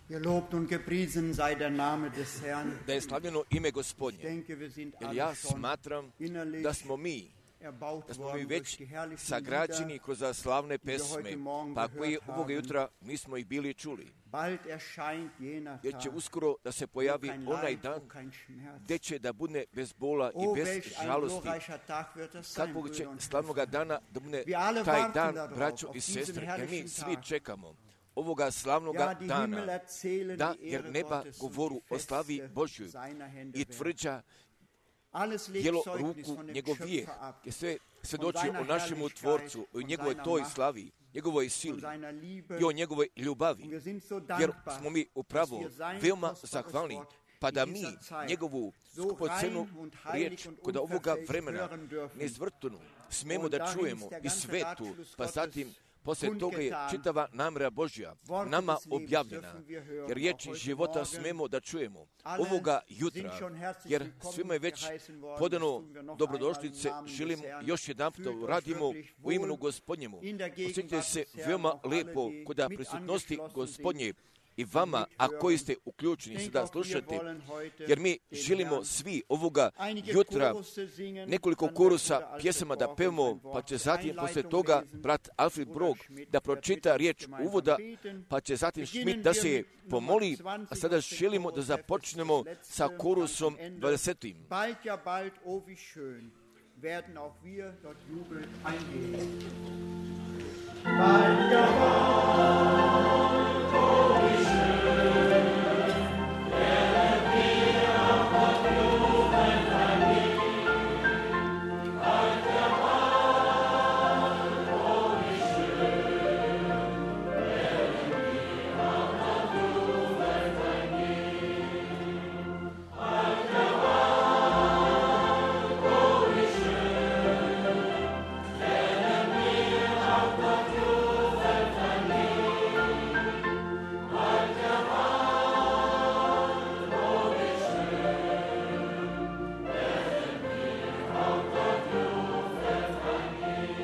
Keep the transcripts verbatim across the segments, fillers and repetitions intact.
Gelobt und gepriesen sei der Name des Herrn. Da je slavljeno ime Ich Gospodnje. denke, wir sind Jer alle ja schon smatram innerlich da smo mi, erbaut da smo mi worden već durch die herrlichen sagrađeni Lieder. kroz slavne die wir heute pesme, Morgen pa koje gehört ovoga haben. jutra mi smo ih bili čuli. Bald erscheint jener Jer će Tag, uskoro da se wo pojavi kein onaj Leid, dan wo kein Schmerz. gdje će da bude bez bola i Oh, bez welch ein žalosti. glorreicher Tag wird das sein, Kakvog će Brüder und slavnoga dana da bude Wir alle taj warten dan, darauf, braćo auf i diesen sestre, jer mi herrlichen svi Tag. čekamo ovoga slavnoga Ja, die Himmel dana. erzählen Da, die jer Ehre neba Gottes und govoru die o slavi Feste Božjoj seiner Hände i werden. tvrđa Alles legt djelo Zeugnis ruku von dem njegov vijek, Schöpfer ab, jer sve von svjedoči seiner o našemu Herrlichkeit, Tvorcu, o von njegovoj seiner toj Macht, slavi, njegovoj von sili seiner Liebe. i o njegovoj Und ljubavi. wir sind so Jer dankbar, smo mi dass upravo wir sein veoma kostbares zahvalni, Wort pa in da dieser mi Zeit njegovu so skupocenu rein und heilig riječ und kod ovoga unverfälscht vremena hören dürfen. neizvrtunu smemo Und da dahin čujemo ist der i ganze svetu, Ratschluss pa Gottes zatim poslije toga je kundgetan. čitava namjera Božja Worte nama des Lebens objavljena, dürfen wir hören, jer riječi auch heute života Morgen. smemo da čujemo Alle ovoga sind jutra, schon herzlich jer willkommen svima je već geheißen worden. podano Das tun wir noch dobrodošlice, einmal im Namen želim des Herrn. još jedan Fühlt euch radimo wirklich u imenu wohl Gospodnjemu. in der Gegenwart Osjetite se des Herrn, veoma auch alle, lijepo die kod mit prisutnosti angeschlossen Gospodnje sind i vama, und a mithören. koji ste uključeni Ich sada denke, auch wir slušate, wollen heute jer mi den želimo Herrn svi ovoga einige jutra Chorusse singen, nekoliko dann wird korusa Bruder Alfred pjesama da Borg pevamo, uns ein pa Wort će zur zatim poslije Einleitung toga lesen. brat Alfred Bruder Brog Schmidt da wird pročita mit riječ gemeinsam uvoda, beten. pa će zatim Beginnen Schmidt da wir se mit pomoli, Nummer a zwanzig sada aus dem želimo da Chorus, das započnemo letzte, sa korusom ganz am Ende. dvadesetim. Bald, ja bald, oh wie schön, werden auch wir dort jubelnd eingehen. Bald, ja bald, oh wie schön, werden wir auch dort jubelnd eingehen. Bald, ja bald, oh wie schön, werden wir auch dort jubelnd eingehen. Bald, ja bald, oh wie schön, werden wir auch dort jubelnd eingehen. Bald, ja bald, oh wie schön, werden wir auch dort jubelnd eingehen.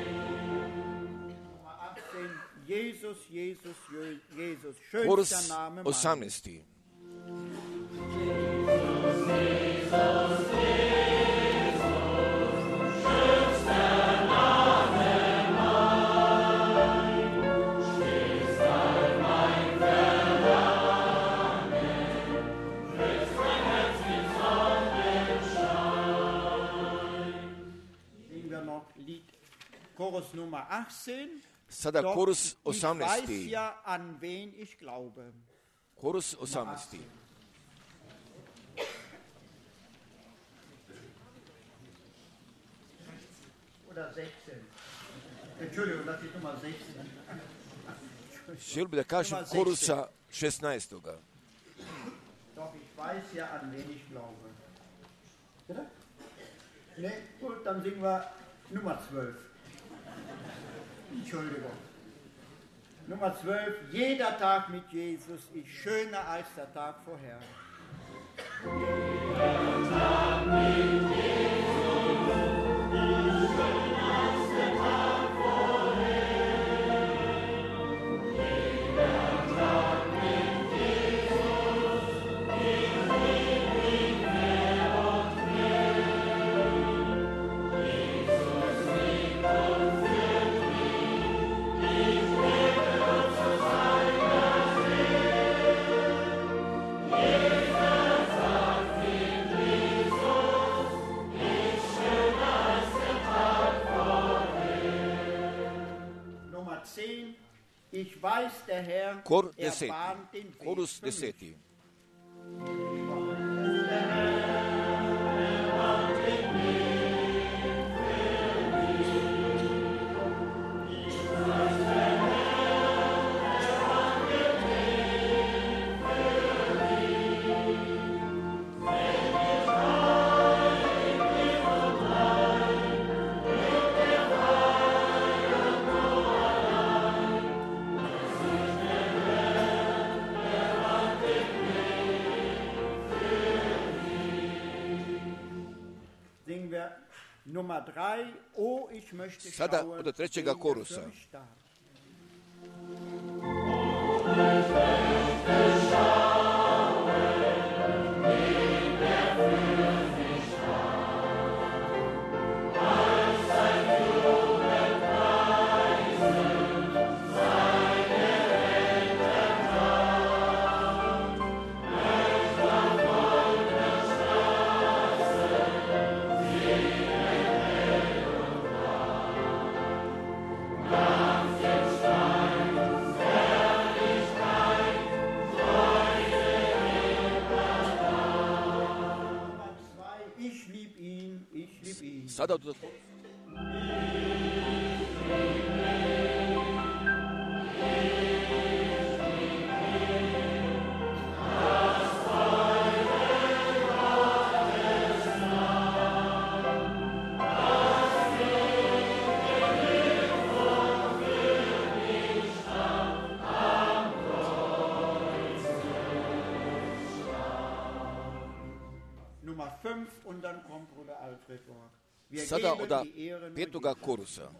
Nummer achtzehn, Jesus, Jesus, Jesus, Korus schönster Name meines. osamnaesti. Singen wir noch Lied Chorus Nummer achtzehn. Sada Doch korus ich weiß osamnaesti. ja, an wen ich glaube. Korus osamnaesti. Oder sechzehn. Entschuldigung, das ist Nummer sechzehn. Želio bi da kažem korusa šesnaestoga. Doch ich weiß ja, an wen ich glaube. Bitte? Ne, gut, dann singen wir Nummer zwölf. Entschuldigung. Nummer zwölf. Jeder Tag mit Jesus ist schöner als der Tag vorher. Jeder Tag mit Jesus ist schöner als der Tag vorher. Jeder Tag mit Jesus ist ewig mehr und mehr. Jesus liebt und führt mich, ich lebe zu seiner Seele. Jeder Tag mit Jesus ist schöner als der Tag vorher. Nummer zehn. Ich weiß, der Herr, Kor er deseti. bahnt den Weg Korus für mich. deseti. Singen wir Nummer drei. Oh, ich möchte Sada schauen, od trećega wen er korusa. für mich starb. Schau sada od... Und dann kommt Bruder Alfred Borg. Wir Sada geben od die Ehre nur petoga korusa.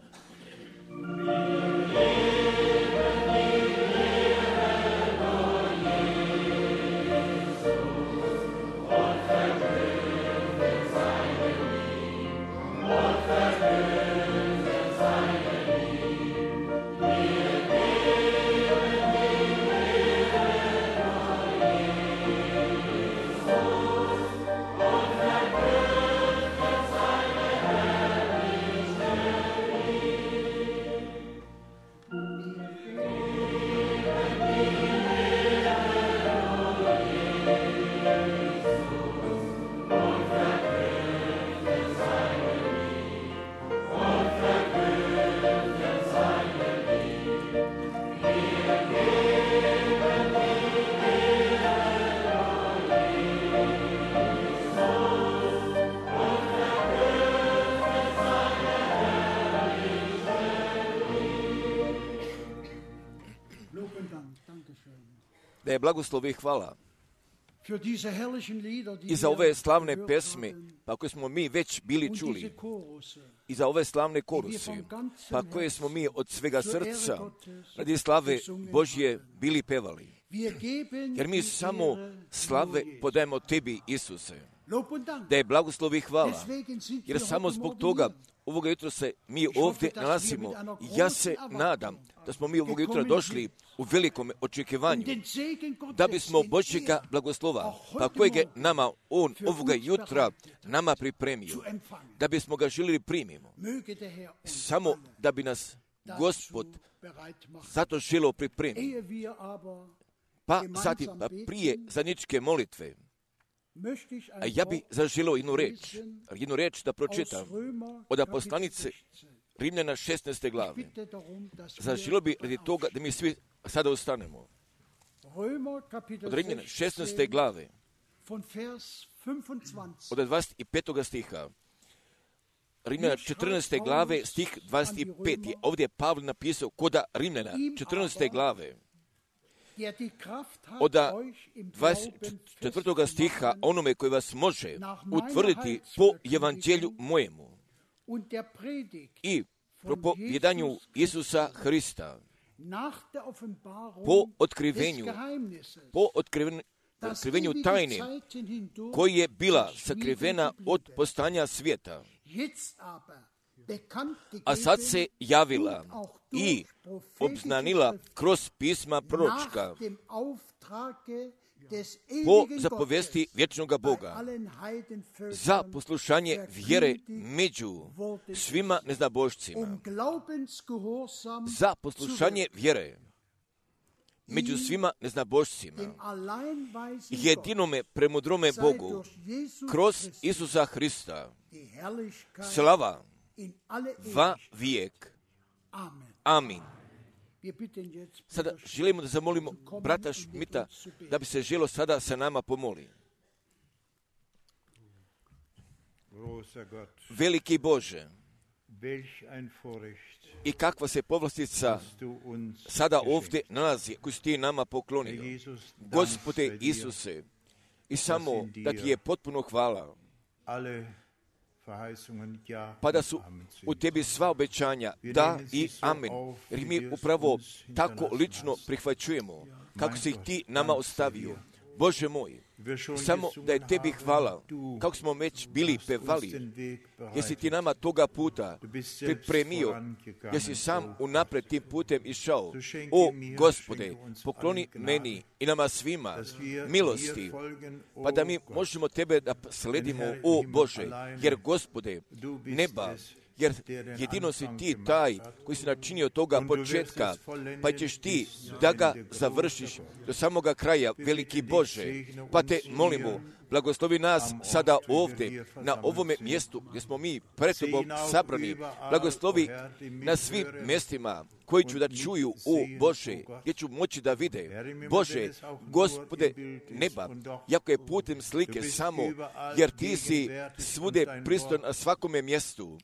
Da je blagoslov i hvala i za ove slavne pesme, pa koje smo mi već bili čuli, i za ove slavne korusi, pa koje smo mi od svega srca radi slave Božje bili pevali. Jer mi samo slave podajemo tebi, Isuse. Da je blagoslov i hvala, jer samo zbog toga ovoga jutra se mi ovdje nalazimo. Ja se nadam da smo mi ovoga jutra došli u velikom očekivanju, da bismo Božjega blagoslova, pa kojeg je nama On ovoga jutra nama pripremio, da bismo ga željeli primimo. Samo da bi nas Gospod zato želio pripremiti. Pa zatim, pa prije zadnjičke molitve, a ja bi zaželio jednu reč, jednu reč da pročitam od poslanice Rimljana šesnaeste glave. Zaželio bi radi toga da mi svi sada ostanemo. Od Rimljana šesnaeste glave, od dvadeset petog stiha. Rimljana četrnaeste glave, stih dvadeset pet. Ovdje je Pavle napisao koda Rimljana četrnaeste glave. Od dvadeset četvrtog stiha, onome koji vas može utvrditi po evanđelju mojemu i propovijedanju Isusa Hrista, po otkrivenju, po otkrivenju, otkrivenju tajne koji je bila sakrivena od postanja svijeta, a sad se javila i obznanila kroz pisma proročka po zapovesti vječnoga Boga za poslušanje vjere među svima neznabošcima, za poslušanje vjere među svima neznabošcima, jedinome premudrome Bogu, kroz Isusa Hrista, slava va vijek. Amin. Sada želimo da zamolimo brata Šmita da bi se želo sada sa nama pomoli. Veliki Bože, i kakva se povlastica sada ovdje nalazi koju si ti nama poklonio. Gospode Isuse, i samo da ti je potpuno hvala, pa da su u tebi sva obećanja da i amen. Jer mi upravo tako lično prihvaćujemo kako si ih ti nama ostavio. Bože moj, samo da je tebi hvala, kako smo već bili pevali, jer si ti nama toga puta pripremio, jer si sam unapred tim putem išao. O Gospode, pokloni meni i nama svima milosti, pa da mi možemo tebe da sledimo, o Bože, jer Gospode, neba, jer jedino si ti taj koji si načinio toga početka, pa ćeš ti da ga završiš do samoga kraja, veliki Bože. Pa te molimo, blagoslovi nas sada ovdje, na ovome mjestu gdje smo mi pred Tobom sabrani. Blagoslovi na svim mjestima koji ću da čuju, o Bože, gdje ću moći da vide. Bože, Gospode neba, jako je putem slike samo, jer Ti si svude pristojan na svakome mjestu,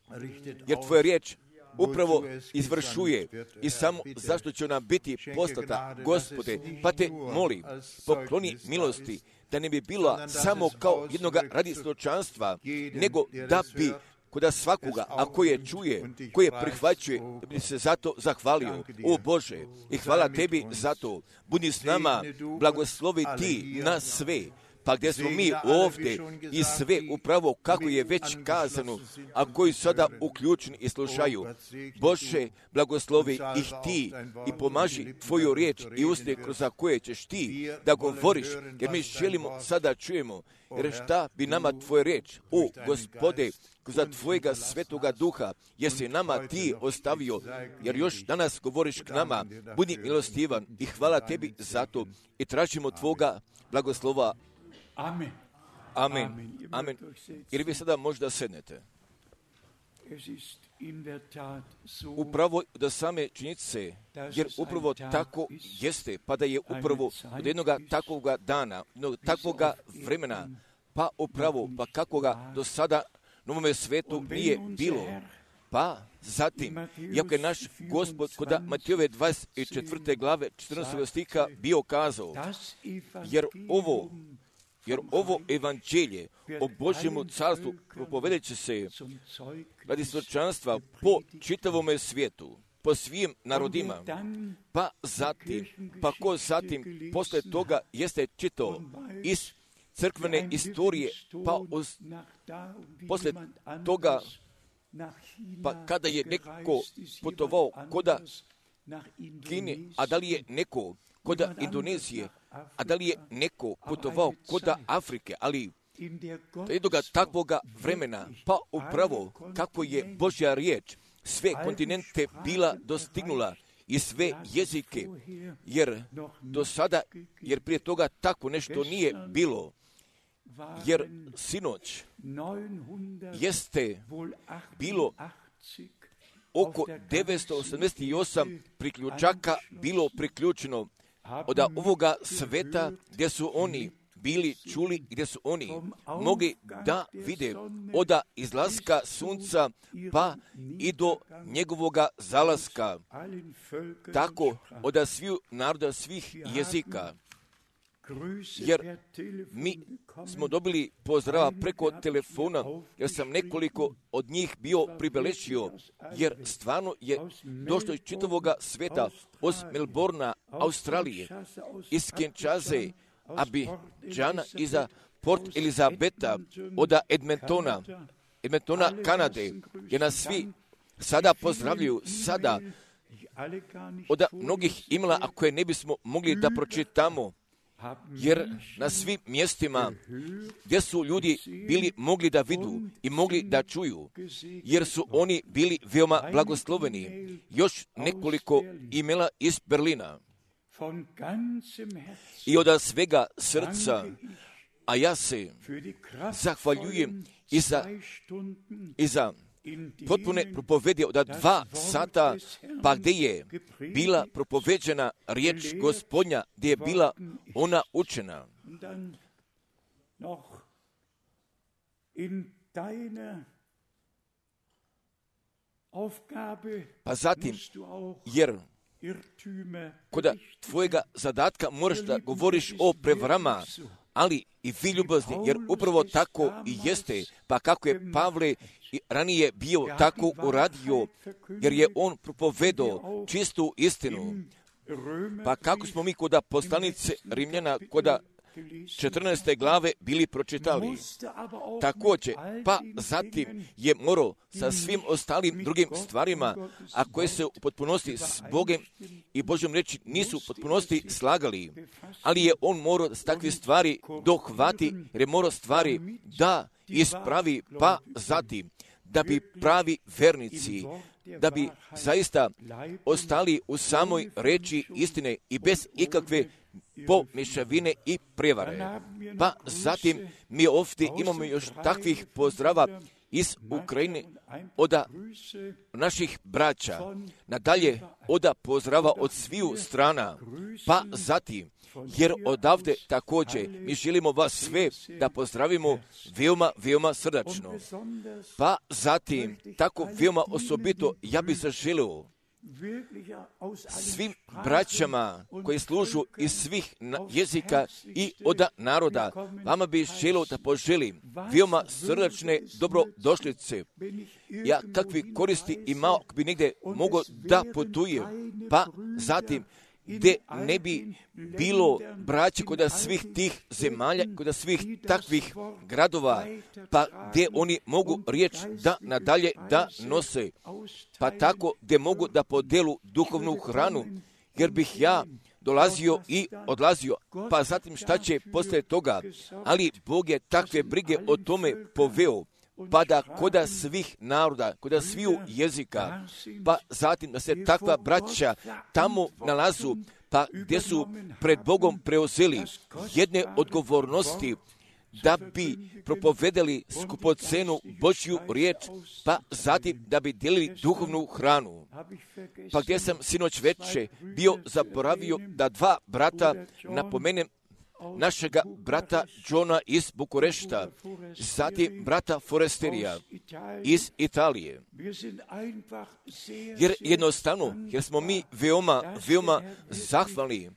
jer Tvoja riječ upravo izvršuje i samo zašto će ona biti poslata, Gospode, pa Te molim, pokloni milosti, da ne bi bila samo kao jednoga radi svjedočanstva, nego da bi kod svakoga, a koje čuje, koje prihvaćuje, da bi se zato zahvalio. O Bože, i hvala Tebi za to. Budi s nama, blagoslovi Ti nas sve. Pa gdje smo mi ovdje i sve upravo kako je već kazano, a koji sada uključeni i slušaju. Bože, blagoslovi ih Ti i pomaži Tvoju riječ i usne kroz koje ćeš Ti da govoriš, jer mi želimo sada čujemo, jer šta bi nama Tvoja riječ, o Gospode, kroz Tvojega svetoga duha, jer si nama Ti ostavio, jer još danas govoriš k nama, budi milostivan i hvala Tebi za to i tražimo Tvoga blagoslova. Amen. Amen. Amen. Ili vi sada možda sednete. Upravo da same činjenice, jer upravo tako jeste, pa da je upravo od jednog takvog dana, jednog takvog vremena, pa upravo, pa kakoga do sada na ovome svetu nije bilo. Pa zatim, iako je naš Gospod kod Matejove dvadeset četvrte glave četrnaestog stiha bio kazao, jer ovo Jer ovo evanđelje o Božjemu carstvu propovedat će se radi svjedočanstva po čitavome svijetu, po svim narodima. Pa zatim, pa ko zatim posle toga jeste čitao iz crkvene istorije, pa uz, posle toga, pa kada je neko putovao koda Kine, a da li je neko koda Indonezije, a da li je neko putovao koda Afrike, ali jednoga takvoga vremena, pa upravo kako je Božja riječ sve kontinente bila dostignula i sve jezike, jer do sada, jer prije toga tako nešto nije bilo, jer sinoć jeste bilo oko devetsto osamdeset osam priključaka bilo priključeno od ovoga sveta gdje su oni bili čuli, gdje su oni mogli da vide od izlaska sunca pa i do njegovoga zalaska, tako od svih naroda, svih jezika. Jer mi smo dobili pozdrava preko telefona, jer sam nekoliko od njih bio pribeležio, jer stvarno je došlo iz čitavoga sveta, od Melbourna, Australije, iz Kinshase, Abidžana, iza Port Elizabeta, od Edmontona, Edmontona, Kanade, jer nas svi sada pozdravljaju, sada od mnogih imena, a koje ne bismo mogli da pročitamo, jer na svim mjestima gdje su ljudi bili mogli da vidu i mogli da čuju, jer su oni bili veoma blagosloveni. Još nekoliko imela iz Berlina. I od svega srca, a ja se zahvaljujem i za, i za potpune propovedi od dva sata, pa gdje je bila propoveđena riječ Gospodnja, gdje je bila ona učena. Pa zatim, jer kod tvojega zadatka moraš da govoriš o prevarama, ali i vi ljubazni, jer upravo tako i jeste, pa kako je Pavle ranije bio tako uradio, jer je on propovedao čistu istinu. Pa kako smo mi kod poslanice Rimljana, kod četrnaeste glave bili pročitali. Također, pa zatim je morao sa svim ostalim drugim stvarima, a koje se u potpunosti s Bogom i Božjom reči nisu u potpunosti slagali, ali je on morao s takve stvari dohvati, jer je morao stvari da ispravi, pa zatim da bi pravi vernici da bi zaista ostali u samoj reči istine i bez ikakve pomješavine i prevare. Pa zatim mi ovdje imamo još takvih pozdrava iz Ukrajine od naših braća, nadalje od pozdrava od sviju strana, pa zatim, jer odavde također mi želimo vas sve da pozdravimo veoma, veoma srdačno. Pa zatim, tako veoma osobito, ja bih zaželio svim braćama koji služu iz svih jezika i od naroda, vama bih želio da poželim veoma srdačne dobrodošlice. Ja kakvi koristi imao, ako bi negdje mogao da putujem, pa zatim gdje ne bi bilo braće kod svih tih zemalja, kod svih takvih gradova, pa gdje oni mogu riječ da nadalje da nose, pa tako gdje mogu da podelu duhovnu hranu, jer bih ja dolazio i odlazio, pa zatim šta će poslije toga, ali Bog je takve brige o tome poveo, pa da koda svih naroda, koda sviju jezika, pa zatim da se takva braća tamo nalazu, pa gdje su pred Bogom preuzeli jedne odgovornosti da bi propovedali skupocenu Božju riječ, pa zatim da bi dijelili duhovnu hranu. Pa gdje sam sinoć veče bio zaboravio da dva brata napomenem, našega brata Johna iz Bukurešta, zatim brata Foresterija iz Italije. Jer jednostavno, jer smo mi veoma, veoma zahvalni,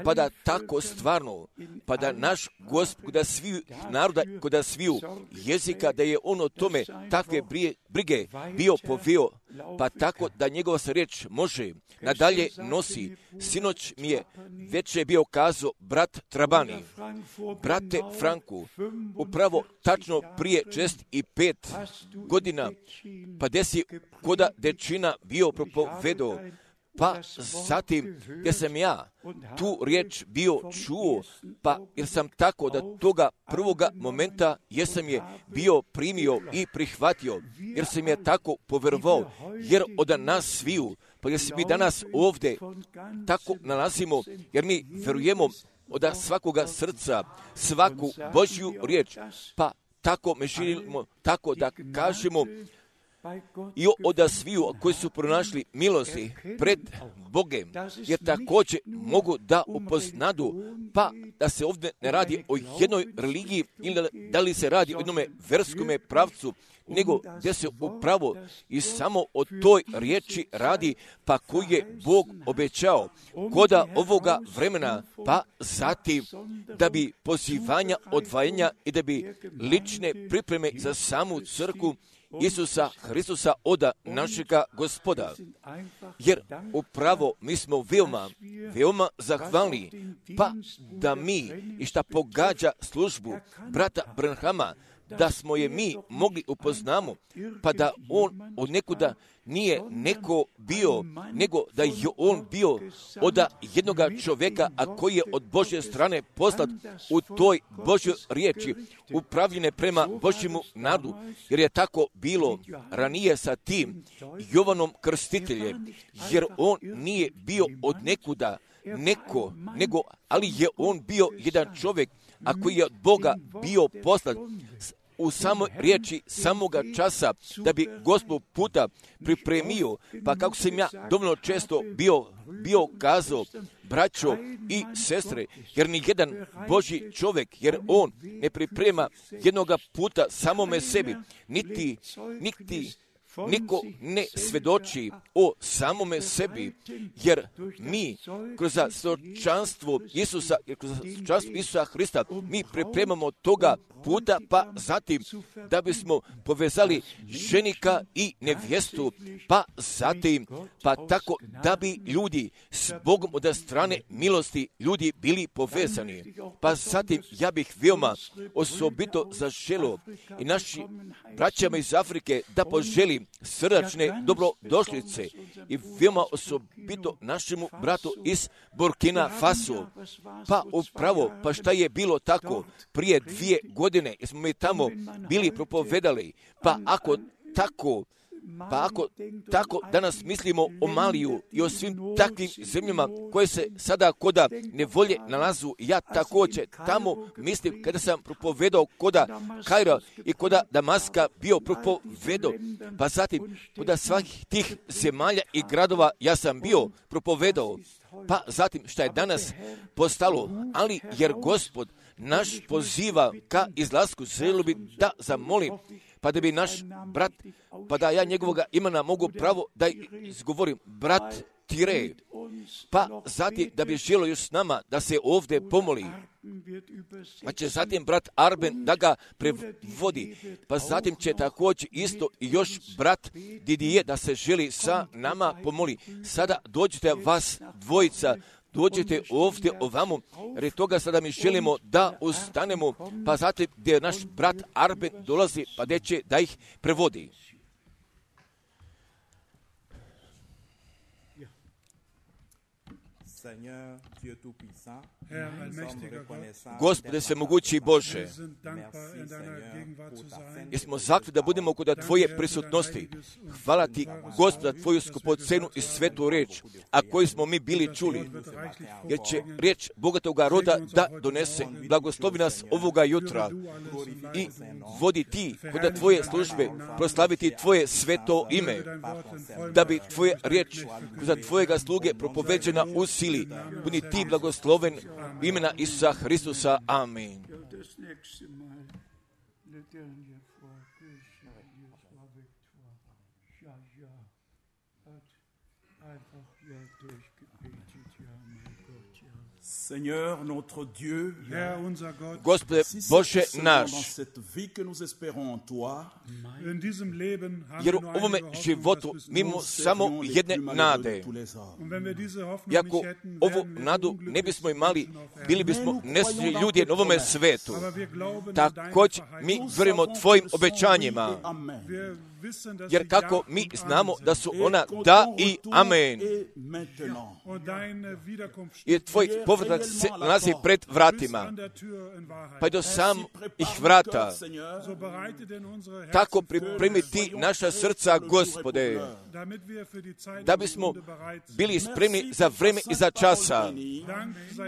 pa da tako stvarno, pa da naš Gospod, da sviju naroda, da sviju jezika, da je on o tome takve brige bio poveo, pa tako da njegova se riječ može nadalje nosi. Sinoć mi je već je bio kazao brat Trabani, brate Franku, upravo tačno prije šest i pet godina, pa gdje si koda dečina bio propovedao, pa zatim gdje sam ja tu riječ bio čuo, pa jer sam tako da toga prvoga momenta jesam je bio primio i prihvatio, jer sam je tako povjerovao, jer od nas sviju, pa jer se mi danas ovdje tako nalazimo, jer mi vjerujemo od svakoga srca svaku Božju riječ, pa tako me želimo tako da kažemo i od sviju koji su pronašli milosti pred Bogem, jer također mogu da upoznadu, pa da se ovdje ne radi o jednoj religiji ili da li se radi o jednome verskome pravcu, nego gdje se upravo i samo o toj riječi radi, pa koji je Bog obećao koda ovoga vremena, pa zatim da bi pozivanja, odvajanja i da bi lične pripreme za samu crkvu Isusa Hristusa od našega Gospoda. Jer upravo mi smo veoma, veoma zahvalni, pa da mi i šta pogađa službu brata Branhama, da smo je mi mogli upoznamo, pa da on od nekuda nije neko bio, nego da je on bio od jednoga čovjeka, a koji je od Božje strane poslat u toj Božjoj riječi, upravljene prema Božjemu narodu, jer je tako bilo ranije sa tim Jovanom Krstiteljem, jer on nije bio od nekuda neko, nego, ali je on bio jedan čovjek, a koji je od Boga bio poslat u samoj riječi samoga časa, da bi Gospod puta pripremio, pa kako sam ja dovoljno često bio, bio kazao, braćo i sestre, jer ni jedan Božji čovjek, jer on ne priprema jednoga puta samome sebi, niti, niti niko ne svedoči o samome sebi, jer mi kroz svjedočanstvo Isusa, kroz svjedočanstvo Isusa Hrista, mi pripremamo toga puta, pa zatim da bismo povezali ženika i nevjestu, pa zatim, pa tako da bi ljudi s Bogom od strane milosti ljudi bili povezani. Pa zatim ja bih veoma osobito zaželio i naši braćama iz Afrike da poželim srdačne dobrodošlice i veoma osobito našemu bratu iz Burkina Faso. Pa upravo, pa šta je bilo tako prije dvije godine, jer smo mi tamo bili propovedali, pa ako tako Pa ako tako danas mislimo o Maliju i o svim takvim zemljama koje se sada koda nevolje nalazu, ja također tamo mislim kada sam propovedao koda Kaira i koda Damaska bio propovedao, pa zatim koda svakih tih zemalja i gradova ja sam bio propovedao, pa zatim šta je danas postalo, ali jer Gospod naš poziva ka izlasku, želio bi da zamolim, pa da bi naš brat, pa da ja njegovoga imena mogu pravo da izgovorim, brat Tire, pa zatim da bi želio još s nama da se ovdje pomoli, pa će zatim brat Arben da ga prevodi, pa zatim će također isto i još brat Didije da se želi sa nama pomoli. Sada dođite vas dvojica, dođete ovdje ovamo, jer toga sada mi želimo da ustanemo, pa zatim gdje naš brat Arben dolazi, pa gdje će da ih prevodi. Gospode svemogući Bože, jesmo zakli da budemo kod Tvoje prisutnosti. Hvala Ti, Gospoda, Tvoju skupocenu i svetu riječ, a koju smo mi bili čuli, jer će riječ bogatoga roda da donese. Blagoslovi nas ovoga jutra i vodi Ti kod Tvoje službe, proslaviti Tvoje sveto ime, da bi Tvoje riječ kod Tvojega sluge propoveđena u sili. Budi Ti blagosloven imena Isusa Hristusa. Amen. Seigneur, notre Dieu, Gospode Bože naš, jer u ovome životu mi imamo samo jedne nade. I ako ovu nadu ne bismo imali, bili bismo nesretni ljudi na ovome svetu. Također mi vjerujemo Tvojim obećanjima, jer kako mi znamo da su ona da i amen. I Tvoj povratak se nalazi pred vratima, pa i do samih vrata. Tako pripremi Ti naša srca, Gospode, da bismo bili spremni za vreme i za časa.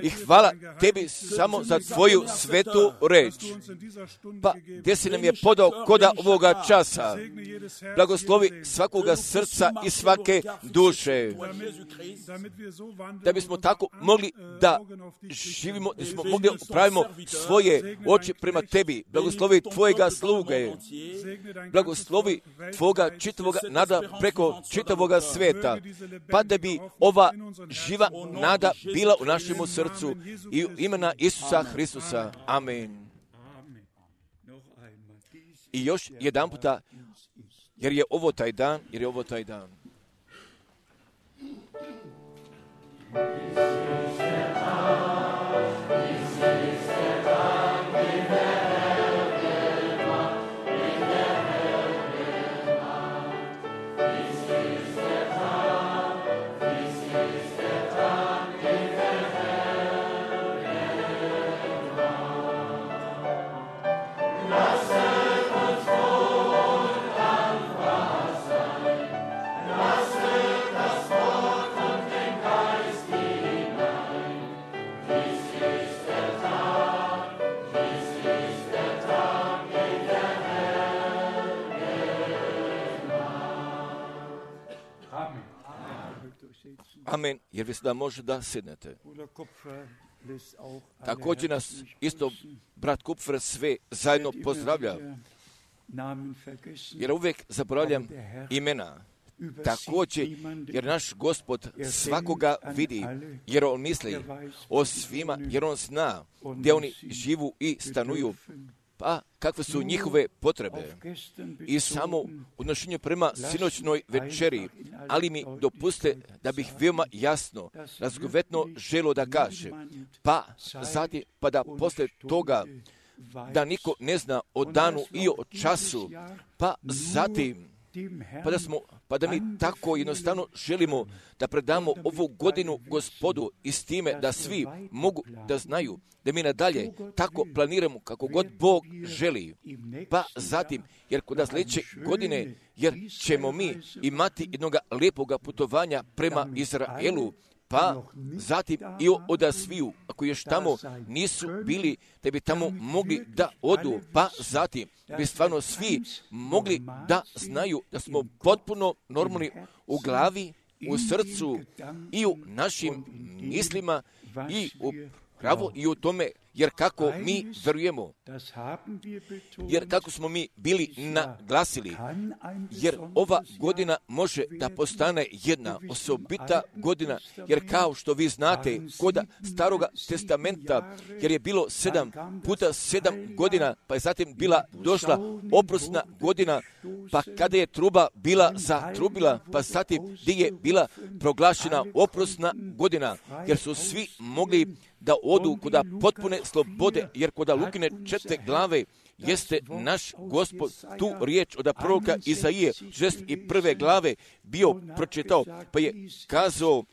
I hvala Tebi samo za Tvoju svetu reč. Pa gdje si nam je podao koda ovoga časa. Blagoslovi svakoga srca i svake duše, da bismo tako mogli da živimo, da smo mogli upravimo svoje oči prema Tebi. Blagoslovi Tvojega sluge, blagoslovi Tvoga čitavoga nada preko čitavoga sveta, pa da bi ova živa nada bila u našemu srcu i u imena Isusa Hristusa. Amen. I još jedan puta, jer je ovo taj dan, jer je ovo taj dan. Amen, jer vi sada može da sjednete. Također nas isto brat Kupfer sve zajedno pozdravlja, jer uvijek zaboravljam imena. Također, jer naš Gospod svakoga vidi, jer On misli o svima, jer On zna gdje oni živu i stanuju, pa kakve su njihove potrebe. I samo u odnošenju prema sinoćnoj večeri, ali mi dopuste da bih veoma jasno, razgovetno želo da kaže, pa zatim, pa da posle toga da niko ne zna o danu i o času, pa zatim Pa da, smo, pa da mi tako jednostavno želimo da predamo ovu godinu Gospodu i s time da svi mogu da znaju da mi nadalje tako planiramo kako god Bog želi. Pa zatim, jer kod sljedeće godine, jer ćemo mi imati jednog lijepoga putovanja prema Izraelu, pa zatim i od sviju, ako još tamo nisu bili, da bi tamo mogli da odu, pa zatim bi stvarno svi mogli da znaju da smo potpuno normalni u glavi, u srcu i u našim mislima i u pravo i u tome, jer kako mi verujemo, jer kako smo mi bili naglasili, jer ova godina može da postane jedna osobita godina, jer kao što vi znate, kod Staroga testamenta, jer je bilo sedam puta sedam godina, pa je zatim bila došla oprosna godina, pa kada je truba bila zatrubila, pa zatim gdje je bila proglašena oprosna godina, jer su svi mogli da odu kod potpune slobode, jer kod Lukine četvrte glave jeste naš Gospod tu riječ od proroka Izaije šezdeset prve glave bio pročitao, pa je kazao,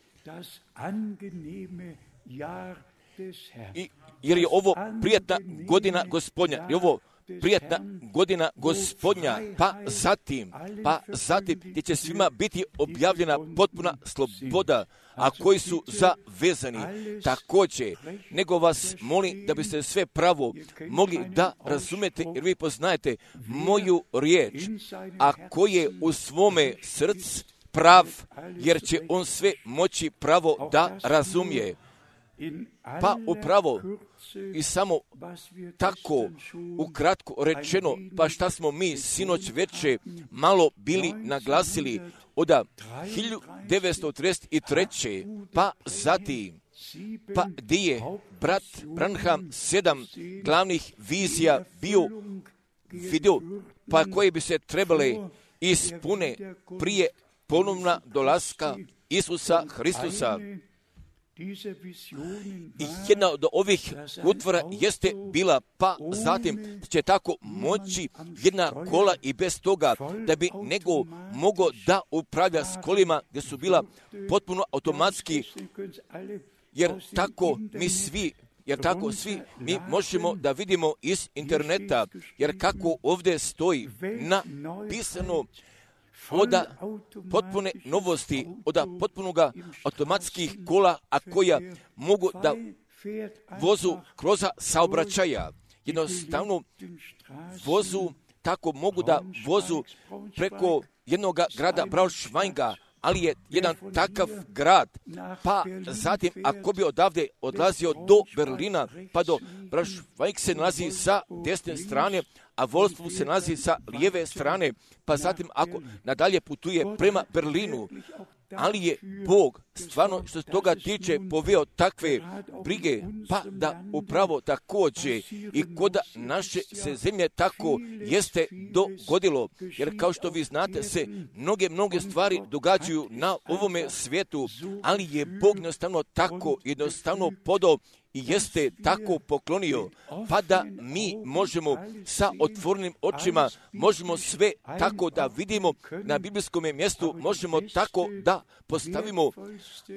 i, jer je ovo prijatna godina Gospodnja, jer je ovo prijatna godina Gospodnja, pa zatim, pa zatim gdje će svima biti objavljena potpuna sloboda, a koji su zavezani također, nego vas molim da biste sve pravo mogli da razumete, jer vi poznajete moju riječ, a koji je u svome srcu prav, jer će on sve moći pravo da razumije. Pa upravo i samo tako ukratko rečeno, pa šta smo mi sinoć veče malo bili naglasili od hiljadu devetsto trideset treće. pa zatim, pa gdje je brat Branham sedam glavnih vizija bio vidio, pa koje bi se trebale ispune prije ponovna dolaska Isusa Hristusa. I jedna od ovih utvora jeste bila, pa zatim će tako moći jedna kola i bez toga da bi nego mogao da upravlja s kolima gdje su bila potpuno automatski, jer tako mi svi Jer tako svi mi možemo da vidimo iz interneta, jer kako ovdje stoji napisano od potpune novosti, od potpunoga automatskih kola, a koja mogu da vozu kroz saobraćaja. Jednostavno vozu, tako mogu da vozu preko jednog grada Braunschweiga, ali je jedan takav grad, pa zatim ako bi odavde odlazio do Berlina, pa do Braunschweig se nalazi sa desne strane, a Wolfsburg se nalazi sa lijeve strane, pa zatim ako nadalje putuje prema Berlinu, ali je Bog stvarno što se toga tiče poveo takve brige, pa da upravo također i kod naše se zemlje tako jeste dogodilo, jer kao što vi znate se mnoge, mnoge stvari događaju na ovome svijetu, ali je Bog jednostavno tako jednostavno podao i jeste tako poklonio, pa da mi možemo sa otvorenim očima, možemo sve tako da vidimo na biblijskom mjestu, možemo tako da postavimo,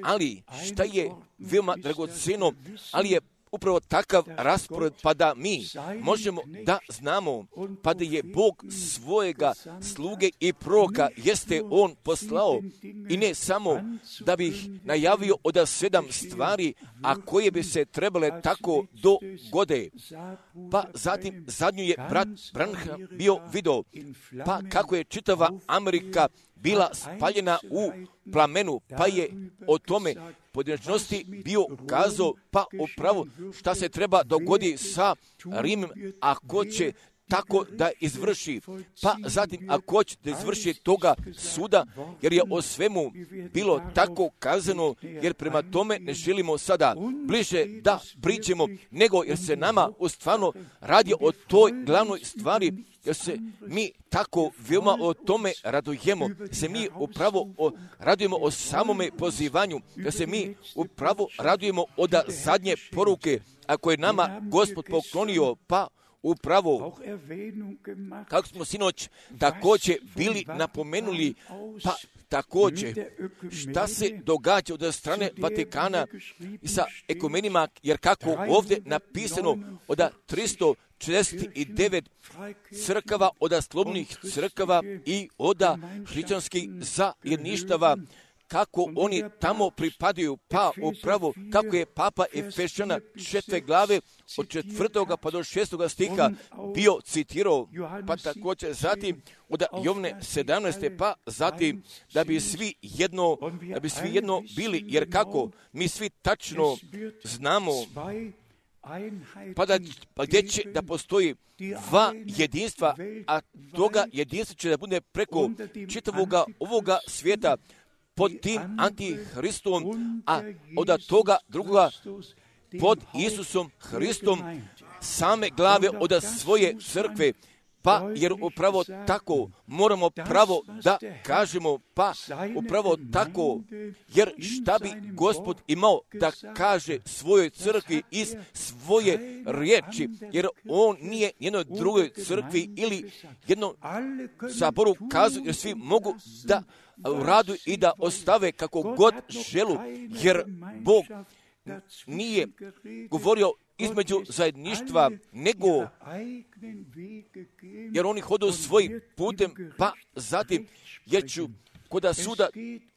ali šta je veoma dragoceno, ali je upravo takav raspored, pa da mi možemo da znamo, pa da je Bog svojega sluge i proroka jeste on poslao, i ne samo da bi ih najavio od sedam stvari, a koje bi se trebale tako dogode. Pa zatim zadnju je brat Branham bio video, pa kako je čitava Amerika bila spaljena u plamenu, pa je o tome pojedinačnosti bio kazao, pa upravo šta se treba dogodi sa Rimom, ako će tako da izvrši, pa zatim ako će da izvrši toga suda, jer je o svemu bilo tako kazano, jer prema tome ne želimo sada bliže da priđemo, nego jer se nama u stvarno radi o toj glavnoj stvari, jer se mi tako veoma o tome radujemo, se mi upravo o, radujemo o samome pozivanju, jer se mi upravo radujemo od zadnje poruke, ako je nama Gospod poklonio, pa upravo, kako smo sinoć također bili napomenuli, pa također šta se događa od strane Vatikana sa ekumenima, jer kako ovdje napisano od tristo četrdeset devet crkava, od slobodnih crkava i od hrišćanskih zajedništava, kako oni tamo pripadaju, pa upravo kako je Papa Efešana četvrte glave od četvrtoga pa do šestoga stiha bio citirao, pa također zatim od Jovne sedamnaeste pa zatim da bi svi jedno, da bi svi jedno bili, jer kako mi svi tačno znamo, pa, da, pa gdje će da postoji dva jedinstva, a toga jedinstva će da bude preko čitavoga ovoga svijeta, pod tim antihristom, a od toga drugoga pod Isusom Hristom, same glave od svoje crkve, pa jer upravo tako moramo pravo da kažemo, pa upravo tako, jer šta bi Gospod imao da kaže svojoj crkvi iz svoje riječi, jer on nije jednoj drugoj crkvi ili jednom saboru kazao, jer svi mogu da radu i da ostave kako god želu, jer Bog nije govorio između zajedništva, nego jer oni hodu svojim putem, pa zatim jer ću koda suda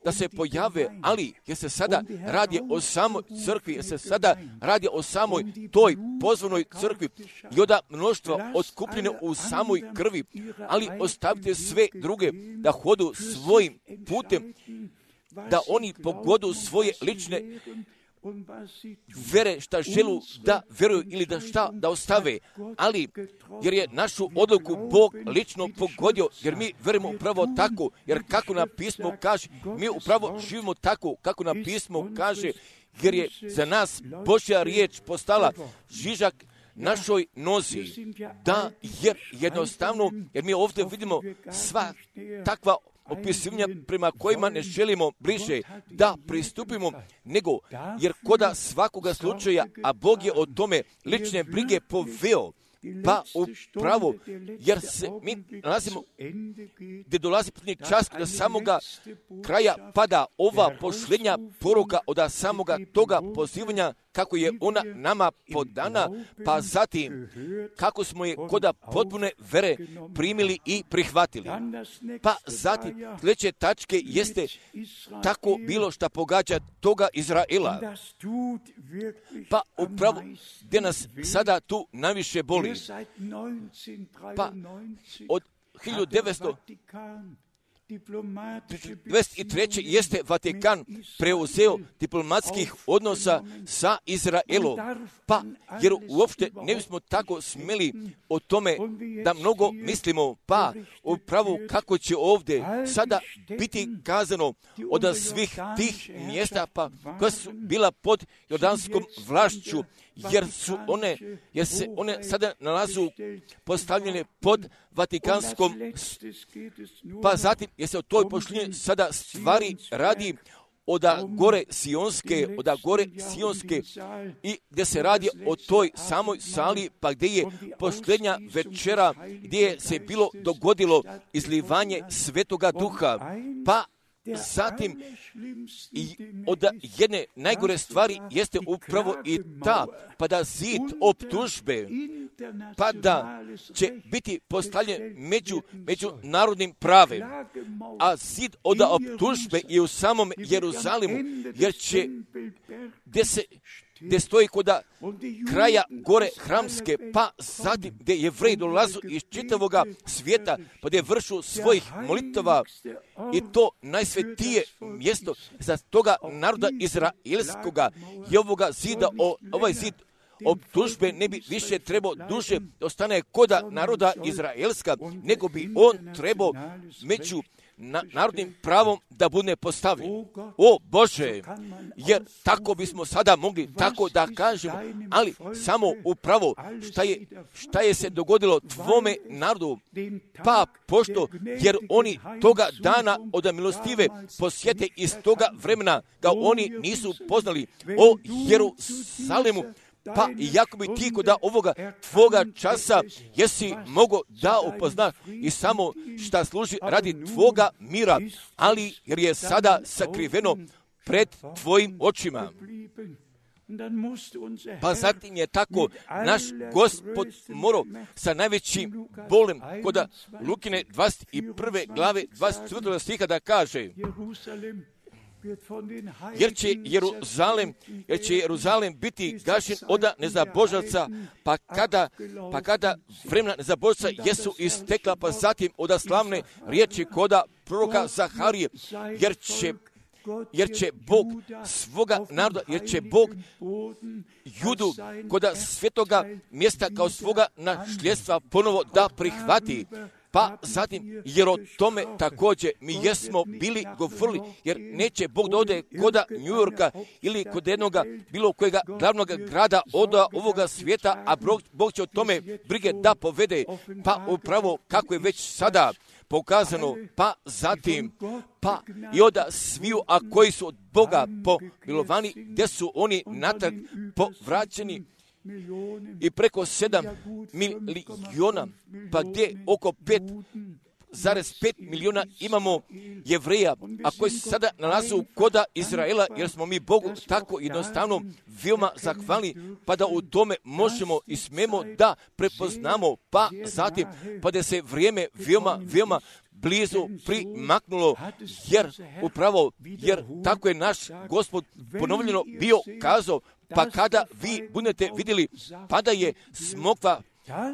da se pojave, ali jer se sada radi o samoj crkvi, jer se sada radi o samoj toj pozvanoj crkvi i od mnoštva otkupljene u samoj krvi, ali ostavite sve druge da hodu svojim putem, da oni pogodu svoje lične vere šta želu da veruju ili da šta da ostave, ali jer je našu odluku Bog lično pogodio, jer mi verujemo upravo tako, jer kako nam pismo kaže, mi upravo živimo tako kako nam pismo kaže, jer je za nas Božja riječ postala žižak našoj nozi, da jer jednostavno, jer mi ovdje vidimo sva takva opisivanja prema kojima ne želimo bliže da pristupimo, nego jer koda svakoga slučaja, a Bog je o tome lične brige poveo, pa upravo, jer se mi nalazimo gdje dolazi posljednji čas do samoga kraja pada ova posljednja poruka od samoga toga pozivanja kako je ona nama podana, pa zatim kako smo je koda potpune vere primili i prihvatili. Pa zatim sljedeće tačke jeste tako bilo šta pogađa toga Izraela. Pa upravo gdje nas sada tu najviše boli. Pa od hiljadu devetsto dvadeset treće jeste Vatikan preuzeo diplomatskih odnosa sa Izraelom, pa jer uopšte ne bismo tako smjeli o tome da mnogo mislimo, pa upravo kako će ovdje sada biti kazano od svih tih mjesta pa koja su bila pod jordanskom vlašću, jer su one, jer se one sada nalazu postavljene pod Vatikanskom, pa zatim jer se o toj pošljenju sada stvari radi od gore Sionske, od gore Sionske i gdje se radi o toj samoj sali, pa gdje je posljednja večera, gdje je se bilo dogodilo izlivanje Svetoga Duha, pa zatim i od jedne najgore stvari jeste upravo i ta, pa da zid optužbe, pa da će biti postavljen među međunarodnim pravem, a zid od optužbe je u samom Jeruzalemu, jer će gdje se gdje stoji koda kraja gore Hramske, pa zatim gdje Jevreji dolazu iz čitavoga svijeta, pa gdje vršu svojih molitava i to najsvetije mjesto za toga naroda izraelskoga i ovoga zida, o, ovaj zid optužbe ne bi više trebao duže ostane koda naroda Izraelska, nego bi on trebao među na, narodnim pravom da bude postavljen. O Bože, jer tako bismo sada mogli tako da kažemo, ali samo upravo šta je, šta je se dogodilo tvome narodu, pa pošto, jer oni toga dana od milostive posjete iz toga vremena ga oni nisu poznali o Jeruzalemu, Pa i jako bi ti kod ovoga tvoga časa jesi mogo da upozna i samo šta služi radi tvoga mira, ali jer je sada sakriveno pred tvojim očima. Pa zatim je tako naš Gospod morao sa najvećim bolem kod Lukine dvadeset prve glave dvadeset četvrtog stiha da kaže: jer će Jeruzalem, jer će Jeruzalem biti gašen od nezabožaca, pa kada, pa kada vremena nezabožaca jesu istekla, pa zatim od slavne riječi koda proroka Zaharije, jer će jer će Bog svoga naroda, jer će Bog Judu koda svetoga mjesta kao svoga nasljedstva ponovo da prihvati. Pa zatim, jer o tome također mi jesmo bili govorili, jer neće Bog da ode koda New Yorka ili kod jednoga bilo kojega glavnog grada od ovoga svijeta, a Bog, Bog će o tome brige da povede. Pa upravo kako je već sada pokazano, pa zatim, pa i od sviju, a koji su od Boga pomilovani, gdje su oni natrag povraćeni, i preko sedam miliona, pa gdje oko pet zarez pet miliona imamo Jevreja, a koji se sada nalaze u koda Izraela, jer smo mi Bogu tako jednostavno veoma zahvalni, pa da u tome možemo i smemo da prepoznamo, pa zatim, pa da se vrijeme veoma, veoma blizu primaknulo, jer upravo, jer tako je naš Gospod ponovljeno bio kazao, pa kada vi budete vidjeli, pa da je smokva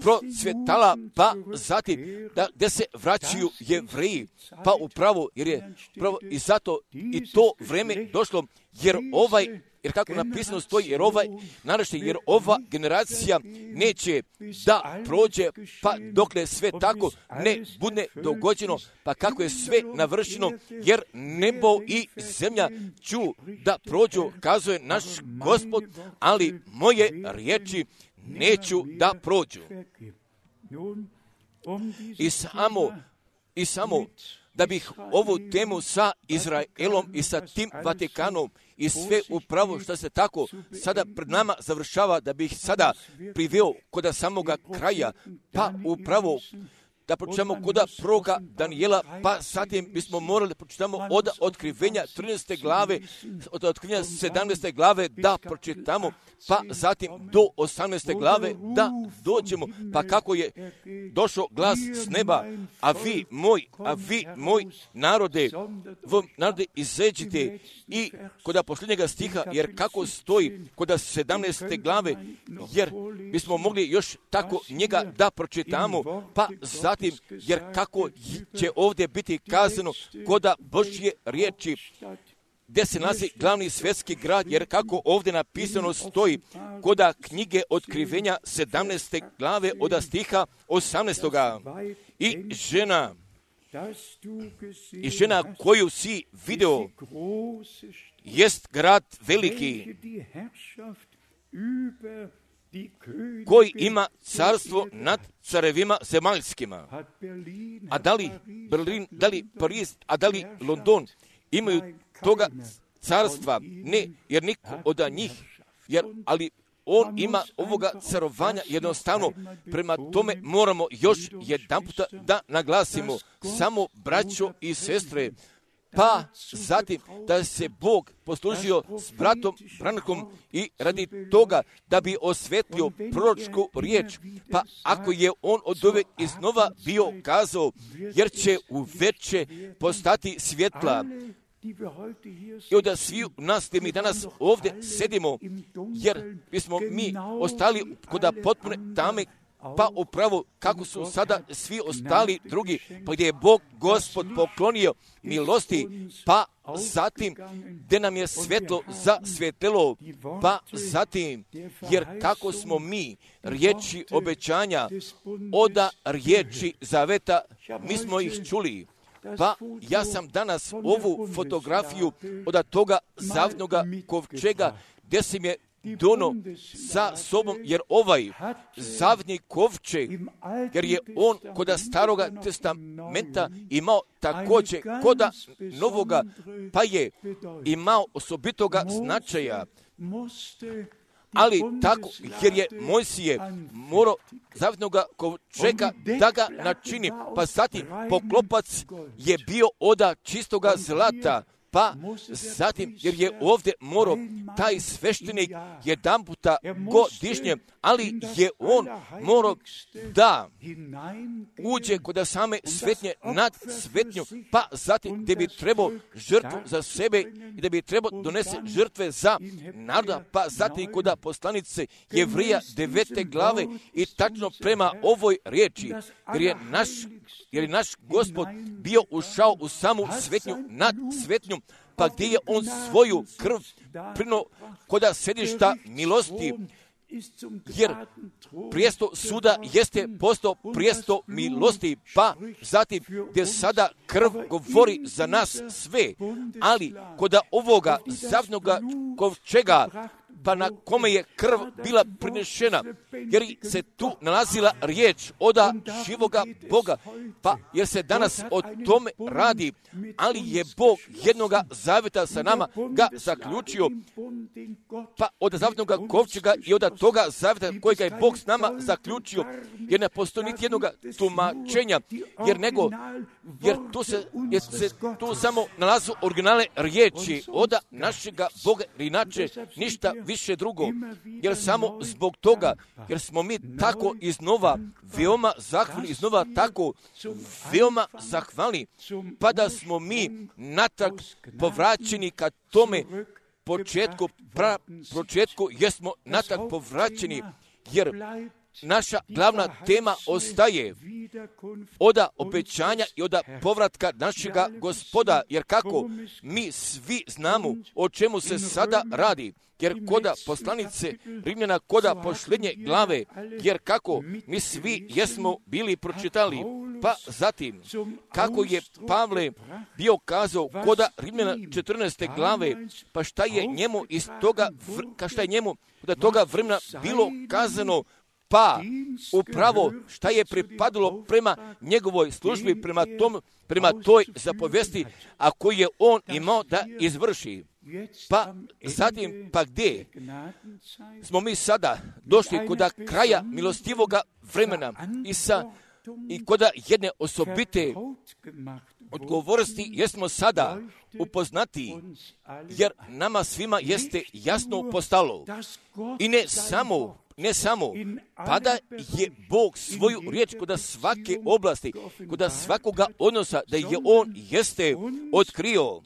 procvjetala, pa zatim da gdje se vraćaju Jevreji, pa upravo, jer je upravo i zato i to vrijeme došlo, jer ovaj, jer kako napisano stoji, jer ovaj naraštaj, jer ova generacija neće da prođe, pa dokle sve tako ne bude dogođeno, pa kako je sve navršeno, jer nebo i zemlja ću da prođu, kazuje naš Gospod, ali moje riječi neću da prođu. I samo, i samo da bih ovu temu sa Izraelom i sa tim Vatikanom i sve upravo što se tako sada pred nama završava, da bih sada priveo kod samoga kraja, pa upravo da pročitamo kod proroka Danijela, pa zatim bismo morali da pročitamo od otkrivenja trinaeste glave, od otkrivenja sedamnaeste glave da pročitamo, pa zatim do osamnaeste glave da dođemo, pa kako je došao glas s neba, a vi moj, a vi moj narode, v narode izađite, i kod posljednjega stiha, jer kako stoji kod sedamnaeste glave, jer bismo mogli još tako njega da pročitamo, pa zatim, jer kako će ovdje biti kazano koda Božje riječi, gdje se nalazi glavni svjetski grad, jer kako ovdje napisano stoji koda knjige otkrivenja sedamnaeste glave od stiha osamnaestoga. I žena, i žena koju si video, jest grad veliki, koji ima carstvo nad carevima zemaljskima. A da li Berlin, da li Pariz, a da li London imaju toga carstva? Ne, jer niko od njih, jer, ali on ima ovoga carovanja jednostavno. Prema tome moramo još jedan puta da naglasimo, samo braćo i sestre, pa zatim da se Bog poslužio s bratom Brankom i radi toga da bi osvetlio proročku riječ, pa ako je on od uvek iznova bio kazao, jer će u veče postati svjetla. I onda svi nas gdje mi danas ovdje sedimo, jer bismo mi ostali kod potpune tame, pa upravo kako su sada svi ostali drugi, pa gdje je Bog Gospod poklonio milosti, pa zatim gdje nam je svjetlo zasvjetlilo, pa zatim, jer kako smo mi riječi obećanja oda riječi zaveta, mi smo ih čuli. Pa ja sam danas ovu fotografiju od toga zavnoga kovčega, gdje sam je dono sa sobom, jer ovaj zavni kovčeg, jer je on kod staroga testamenta imao također kod novoga, pa je imao osobitoga značaja. ali tako, jer je Mojsije morao zavetnoga kovčega da ga načini, pa zatim poklopac je bio oda čistoga zlata, pa zatim, jer je ovdje morao taj sveštenik jedan puta godišnje, ali je on morao da uđe kod same svetnje nad svetnju, pa zatim gdje bi trebao žrtvu za sebe i da bi trebao donese žrtve za naroda, pa zatim kod poslanice Jevrija devete glave i tačno prema ovoj riječi, jer je naš, jer je naš Gospod bio ušao u samu svetnju nad svetnju, pa gdje je on svoju krv prino koda sedišta milosti, jer prijesto suda jeste postao prijesto milosti, pa zatim gdje sada krv govori za nas sve, ali koda ovoga zavnoga kovčega, pa na kome je krv bila prinešena, jer se tu nalazila riječ oda živoga Boga, pa jer se danas o tome radi, ali je Bog jednoga zaveta sa nama ga zaključio, pa od zavetnoga kovčega i od toga zaveta kojega je Bog s nama zaključio, jer ne postoji niti jednoga tumačenja, jer nego, jer tu se, jer se tu samo nalazu originalne riječi oda našega Boga, inače ništa više drugo, jer samo zbog toga, jer smo mi tako iznova veoma zahvalni, iznova tako veoma zahvalni, pa da smo mi natrag povraćeni ka tome početku, pra početku, jer smo natrag povraćeni, jer naša glavna tema ostaje oda obećanja i oda povratka našega Gospoda, jer kako mi svi znamo o čemu se sada radi, jer koda poslanice Rimljana, koda posljednje glave, jer kako mi svi jesmo bili pročitali, pa zatim kako je Pavle bio kazao koda Rimljana četrnaeste glave, pa šta je njemu iz toga, šta je njemu da toga vremena bilo kazano, pa upravo šta je pripadalo prema njegovoj službi, prema tom, prema toj zapovesti, a koju je on imao da izvrši. Pa zatim, pa gdje smo mi sada došli kod kraja milostivoga vremena i sa i kod jedne osobite odgovornosti jesmo sada upoznati, jer nama svima jeste jasno postalo. I ne samo Ne samo, pa da je Bog svoju riječ kod svake oblasti, kod svakoga odnosa, da je On jeste otkrio,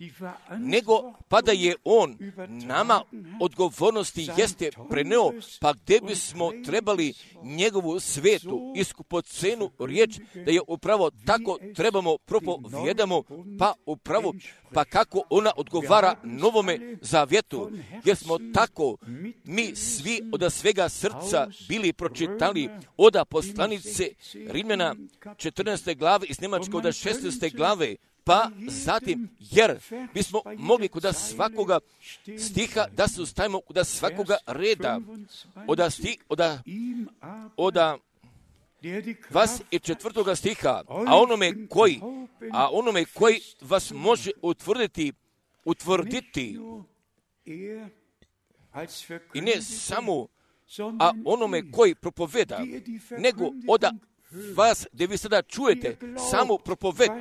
nego pa da je On nama odgovornosti jeste preneo, pa gdje bismo trebali njegovu svetu, iskupocenu riječ, da je upravo tako trebamo propovijedamo, pa upravo, pa kako ona odgovara novome zavjetu, jer smo tako mi svi od svega srca bili pročitali oda poslanice Rimljana četrnaeste glave iz Njemačke od šesnaeste glave, pa zatim, jer bismo mogli kod svakoga stiha da se ustavimo kod svakoga reda, oda sti, oda, oda vas i četvrtoga stiha, a onome koji, a onome koji vas može utvrditi, utvrditi, i ne samo a onome koji propoveda, nego oda vas, gdje vi sada čujete samo propoved,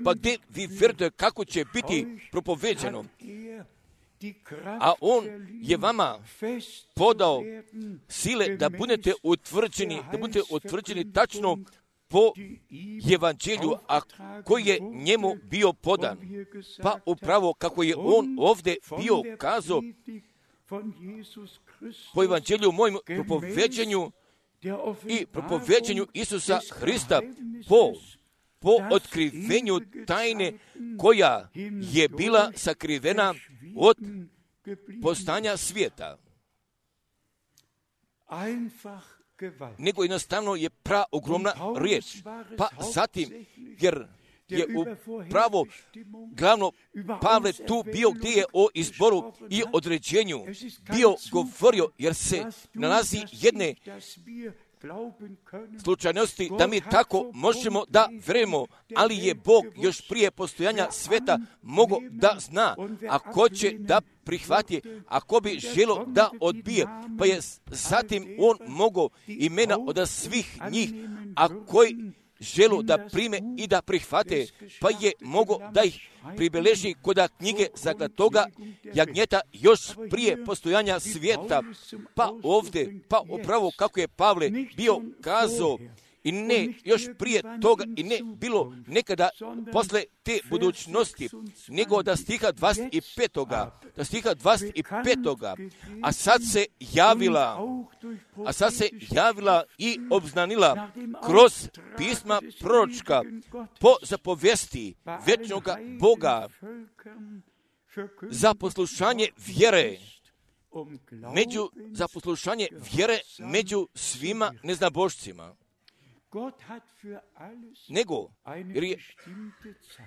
pa gdje vi vjerujete kako će biti propoveđeno, a on je vama podao sile da budete utvrđeni, da budete utvrđeni tačno po evanđelju, a koji je njemu bio podan. Pa upravo kako je on ovdje bio kazao, po evanđelju mojim propoveđenju i propoveđenju Isusa Hrista po, po otkrivenju tajne koja je bila sakrivena od postanja svijeta. Nego jednostavno je pra ogromna riječ. Pa zatim, jer je upravo glavno Pavle tu bio gdje je o izboru i određenju bio govorio, jer se nalazi jedne slučajnosti da mi tako možemo da vjerujemo, ali je Bog još prije postojanja sveta mogao da zna, a ko će da prihvati, a ko bi želo da odbije, pa je zatim on mogao imena od svih njih, a koji želu da prime i da prihvate, pa je mogo da ih pribeleži kod knjige zaklatoga jagnjeta još prije postojanja svijeta. Pa ovdje, pa upravo kako je Pavle bio kazao, i ne još prije toga, i ne bilo nekada posle te budućnosti, nego da stiha dvadeset petoga, da stiha dvadeset petoga, a sad se javila, a sad se javila i obznanila kroz pisma proročka po zapovesti večnoga Boga za poslušanje vjere, među, za poslušanje vjere među svima neznabošcima. Nego, jer, je,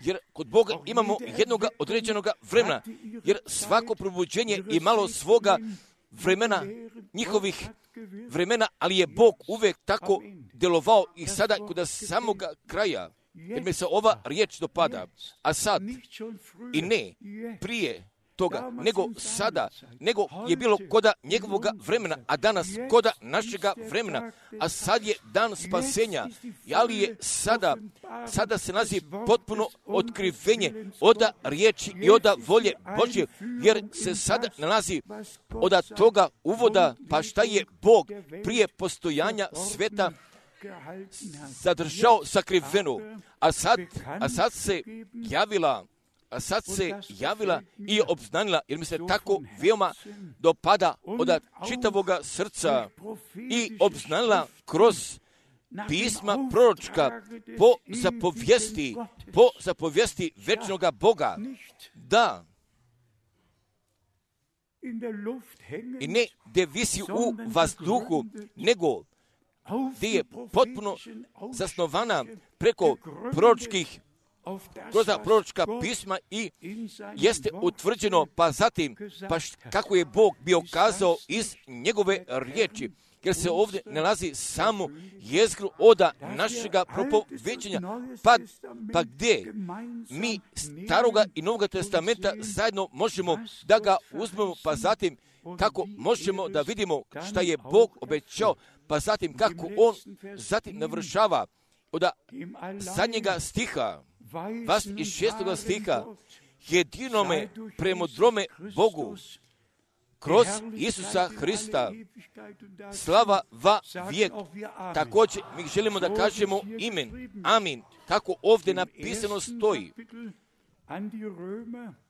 jer kod Boga imamo jednog određenog vremena, jer svako probuđenje imalo svoga vremena, njihovih vremena, ali je Bog uvijek tako delovao i sada kod samoga kraja, jer mi se ova riječ dopada, a sad i ne prije toga, nego sada, nego je bilo koda njegovoga vremena, a danas koda našega vremena, a sad je dan spasenja, ali je sada, sada se nalazi potpuno otkrivenje oda riječi i oda volje Božje, jer se sada nalazi od toga uvoda, pa šta je Bog prije postojanja sveta zadržao sakriveno, a sad, a sad se javila a sad se javila i obznanila, jer mi se tako veoma dopada od čitavoga srca i obznanila kroz pisma proročka po zapovijesti, po zapovijesti večnoga Boga, da i ne da visi u vazduhu, nego gdje je potpuno zasnovana preko proročkih kroz proročka pisma i jeste utvrđeno, pa zatim, pa št, kako je Bog bio kazao iz njegove riječi, jer se ovdje nalazi samo jezgru oda našega propoveđenja, pa, pa gdje mi staroga i novoga testamenta zajedno možemo da ga uzmemo, pa zatim kako možemo da vidimo šta je Bog obećao, pa zatim kako on zatim navršava od zadnjega stiha, dvadeset šestog stiha, jedinome premudrome Bogu, kroz Isusa Hrista, slava va vijek. Također mi želimo da kažemo imen, amin, kako ovdje napisano stoji.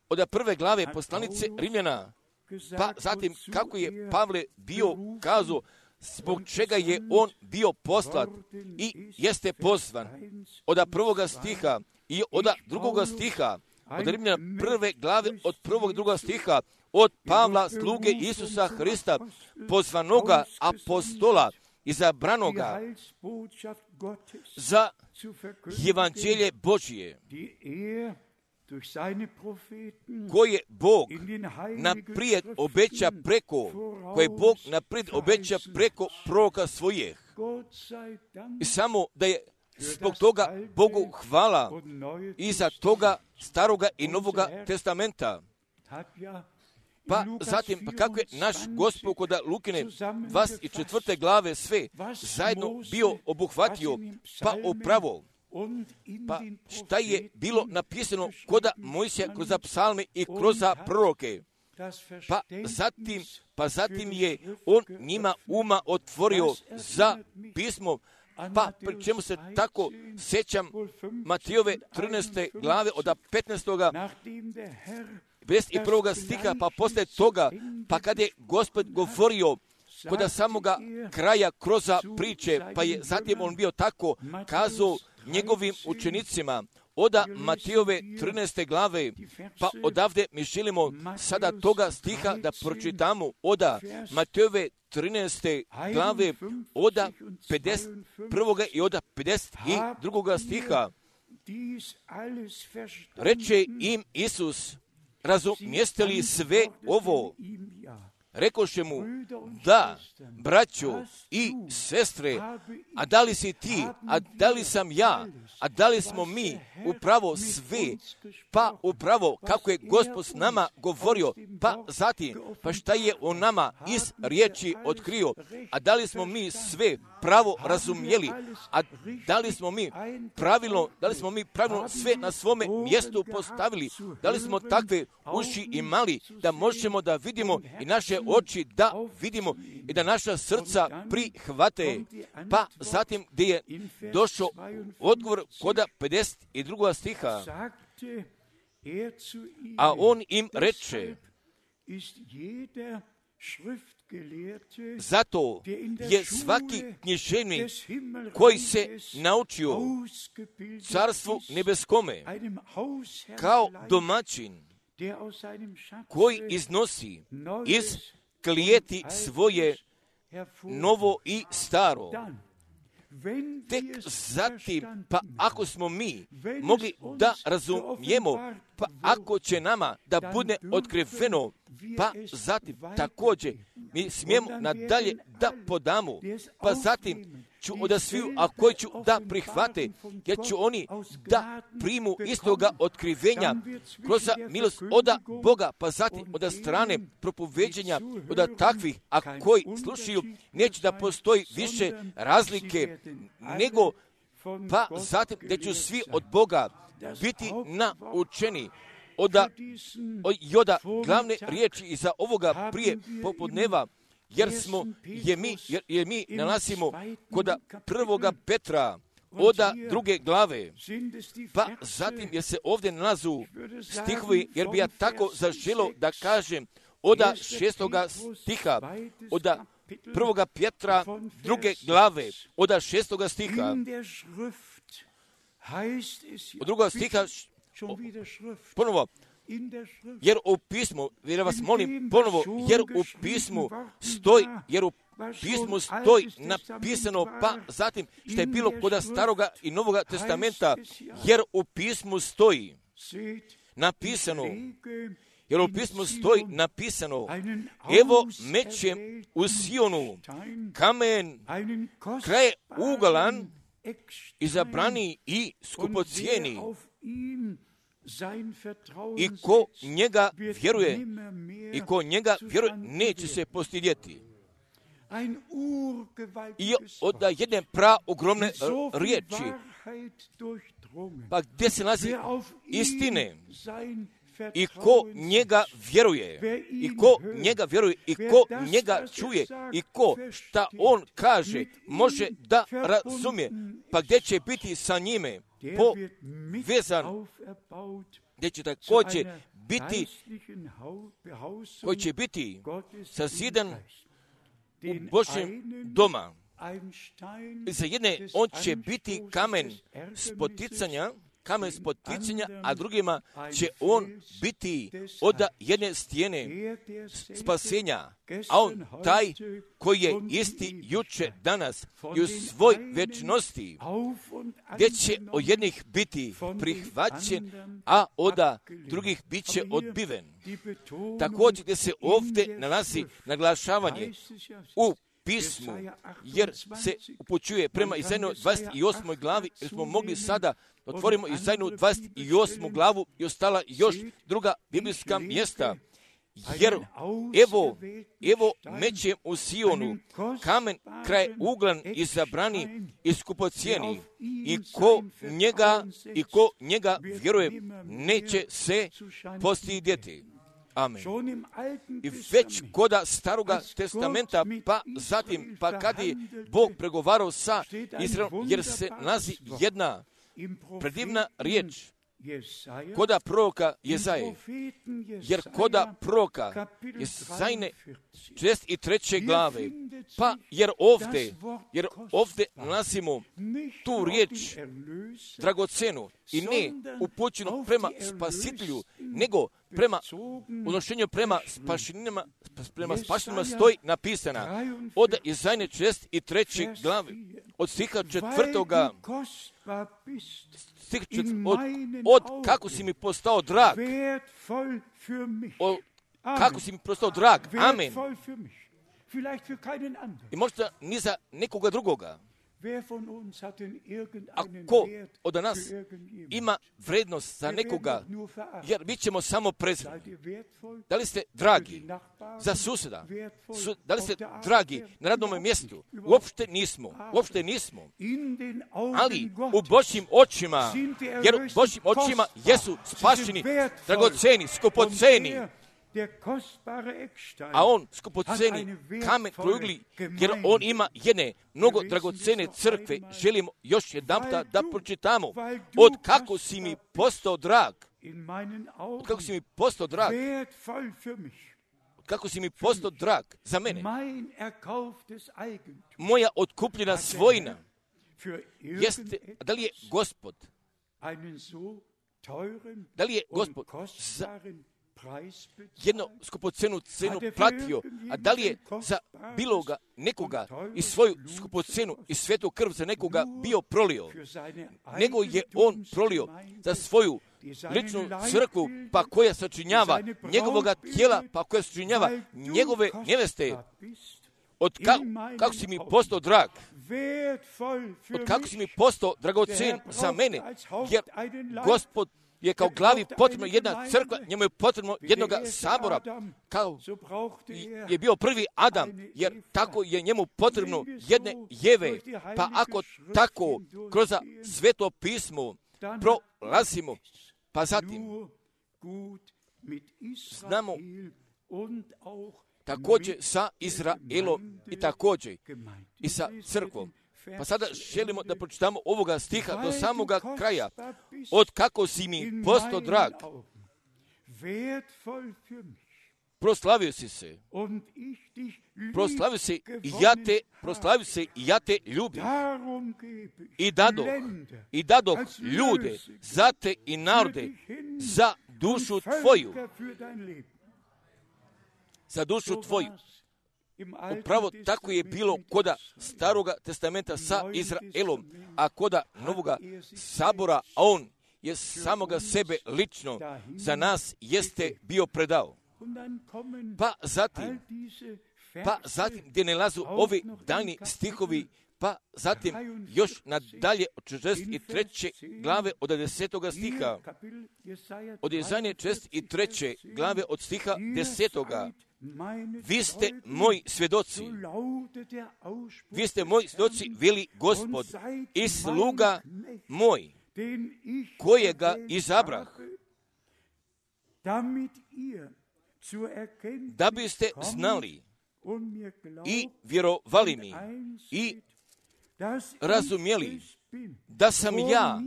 Od prve glave poslanice Rimljana, pa zatim kako je Pavle bio kazao, zbog čega je on bio poslat i jeste pozvan. Od prvoga stiha i od drugoga stiha, od Rimljana prve glave, od prvog i drugog stiha, od Pavla, sluge Isusa Hrista, pozvanoga apostola, izabranoga za evanđelje Božije, koje Bog naprijed obeća preko, koje Bog naprijed obeća preko proroka svojih. I samo da je zbog toga Bogu hvala iza toga staroga i novoga testamenta. Pa zatim, pa kako je naš Gospod kod Lukine dvadeset četvrte glave sve zajedno bio obuhvatio, pa upravo, pa šta je bilo napisano kod Mojsija kroz psalme i kroz proroke. Pa zatim, pa zatim je on njima uma otvorio za pismo, pa pri čemu se tako sjećam Matijove trinaeste glave od petnaestoga pedeset prvoga stiha, pa poslije toga, pa kad je Gospod govorio kod samoga kraja kroz priče, pa je zatim on bio tako kazao njegovim učenicima, oda Matijove trinaeste glave, pa odavde mi želimo sada toga stiha da pročitamo, oda Matijove trinaeste glave, oda pedeset prvoga i oda pedeset drugoga stiha. Reče im Isus, razumijeste li sve ovo? rekoše mu, da, braćo i sestre, a da li si ti, a da li sam ja, a da li smo mi upravo sve, pa upravo kako je Gospod s nama govorio, pa zatim, pa šta je on nama iz riječi otkrio, a da li smo mi sve pravo razumjeli, a da li smo mi pravilno, da li smo mi pravilno sve na svome mjestu postavili, da li smo takve uši imali da možemo da vidimo i naše oči da vidimo i da naša srca prihvate. Pa zatim gdje je došao odgovor koda pedeset drugog stiha, a on im reče, zato je svaki književnik koji se naučio carstvu nebeskome kao domaćin koji iznosi iz klijeti svoje novo i staro. Tek zatim, pa ako smo mi mogli da razumijemo, pa ako će nama da bude otkriveno, pa zatim također mi smijemo nadalje da podamo, pa zatim ću od sviju, a koji ću da prihvate, jer ću oni da primu istoga otkrivenja kroz milost od Boga, pa zatim od strane propoveđenja od takvih, a koji slušaju, neće da postoji više razlike, nego pa zatim da ću svi od Boga biti naučeni od joda glavne riječi iza ovoga prije popodneva, jer smo, je mi, jer, jer mi nalazimo kod prvoga Petra, od druge glave, pa zatim jer se ovdje nalazu stihovi, jer bi ja tako zaželo da kažem, od šestoga stiha, od prvoga Petra, druge glave, od šestoga stiha, od drugog stiha, ponovo, jer u pismu, jer vas molim ponovo, jer u pismu stoji, jer u pismu stoji napisano, pa zatim što je bilo kod Staroga i Novoga testamenta, jer u pismu stoji napisano, jer u pismu stoji napisano, evo mećem u Sionu kamen kraj ugalan, izabrani i skupocijeni, i ko njega vjeruje, i ko njega vjeruje, neće se postidjeti. I od jedne pra ogromne riječi, pa gdje se nalazi istine, i ko njega vjeruje, i ko njega vjeruje, i ko njega čuje, i ko šta on kaže, može da razumije, pa gdje će biti sa njime povezan, gdje će također biti, koji će biti sazidan u Božjem doma. Za jedne on će biti kamen spoticanja, kamen spoticanja, a drugima će on biti od jedne stijene spasenja, a on taj koji je isti juče, danas i u svoj večnosti, gdje će od jednih biti prihvaćen, a od drugih bit će odbiven. Također gdje se ovdje nalazi naglašavanje u pismu, jer se upućuje prema Izajnoj dvadeset osmoj glavi, jer smo mogli sada otvorimo Izajnu dvadeset osmu glavu i ostala još druga biblijska mjesta, jer evo, evo mećem u Sionu kamen kraj uglan izabrani i skupocijeni, i ko njega, i ko njega vjeruje, neće se postidjeti. Amen. I već koda Staroga testamenta, pa zatim, pa kad je Bog pregovarao sa Izraelom, jer se nalazi jedna predivna riječ koda proroka Jezaje, jer koda proroka Jezajne četrdeset treće glave, pa jer ovdje, jer ovdje nalazimo tu riječ dragocenu i ne upućenu prema spasitelju, nego prema odnošenju prema spašenima, prema spašenima stoji napisana od Jezajne četrdeset treće glave, od stiha četvrtoga, stih čet, od, od kako si mi postao drag, od, kako si mi postao drag. Amen. I možda ni za nekoga drugoga. A ko od nas ima vrednost za nekoga, jer mi ćemo samo prezreti. Da li ste dragi za susjeda? Su, da li ste dragi na radnom mjestu? Uopšte nismo. Uopšte nismo. Ali u Božjim očima, jer u Božjim očima jesu spašeni, dragoceni, skupoceni. A on skupoceni kamen prougli, jer on ima jedne mnogo dragocene crkve. Želimo još jedanputa da pročitamo. Od kako si mi postao drag. Od kako si mi postao drag. Od kako si mi postao drag za mene. Moja otkupljena svojina. Jeste, da li je Gospod, da li je Gospod za jednu skupocenu cenu platio, a da li je za biloga nekoga i svoju skupocenu i svetu krv za nekoga bio prolio, nego je on prolio za svoju ličnu crkvu, pa koja sačinjava njegovoga tijela, pa koja sačinjava njegove neveste. Od ka, kako si mi postao drag, od kako si mi postao dragocen za mene, jer Gospod je kao glavi potrebno jedna crkva, njemu je potrebno jednoga sabora, kao je bio prvi Adam, jer tako je njemu potrebno jedne Jeve. Pa ako tako kroz sveto pismo prolazimo, pa zatim znamo također sa Izraelom i također i sa crkvom. Pa sada želimo da pročitamo ovoga stiha do samoga kraja. Od kako si mi postao drag. Proslavio si se. Proslavio se i ja te, proslavio se i ja te ljubim. I dadoh, i dadoh ljude za te i narode, za dušu tvoju. Za dušu tvoju. Upravo tako je bilo koda Staroga testamenta sa Izraelom, a koda Novoga sabora, a on je samoga sebe lično za nas jeste bio predao. Pa zatim, pa zatim gdje ne lazu ovi daljni stihovi, pa zatim još nadalje od četrdeset treće glave od desetoga stiha, od Jesaje četrdeset treće glave od stiha desetoga. Vi ste moji svjedoci, vi ste moji svjedoci, veli Gospod, i sluga moj, kojega izabrah, da biste znali i vjerovali mi i razumjeli da sam ja,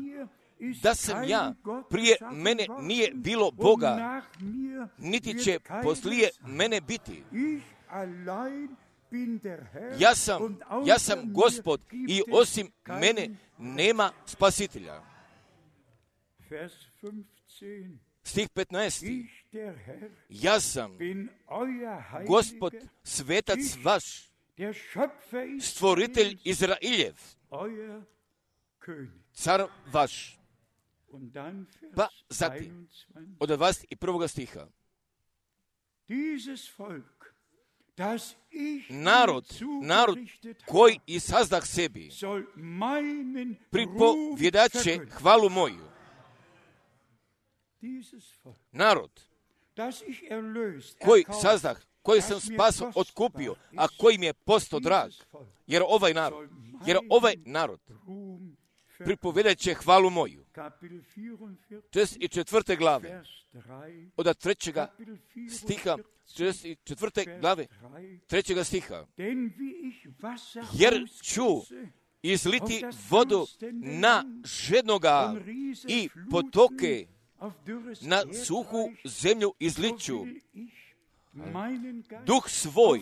da sam ja, prije mene nije bilo Boga, niti će poslije mene biti. Ja sam, ja sam Gospod i osim mene nema spasitelja. Stih petnaesti. Ja sam Gospod, svetac vaš, stvoritelj Izraeljev, car vaš. Pa zatim, od dvadeset prvog stiha. Narod, narod koji i sazdah sebi, pripovjedaće hvalu moju. Narod koji sazdah, koji sam spaso otkupio, a koji mi je postao drag, jer ovaj narod, jer ovaj narod pripovjedat će hvalu moju. četrdeset četvrte glave, od trećega stiha, četrdeset četvrte glave, trećega stiha. Jer ću izliti vodu na žednoga i potoke na suhu zemlju izliću. Duh svoj,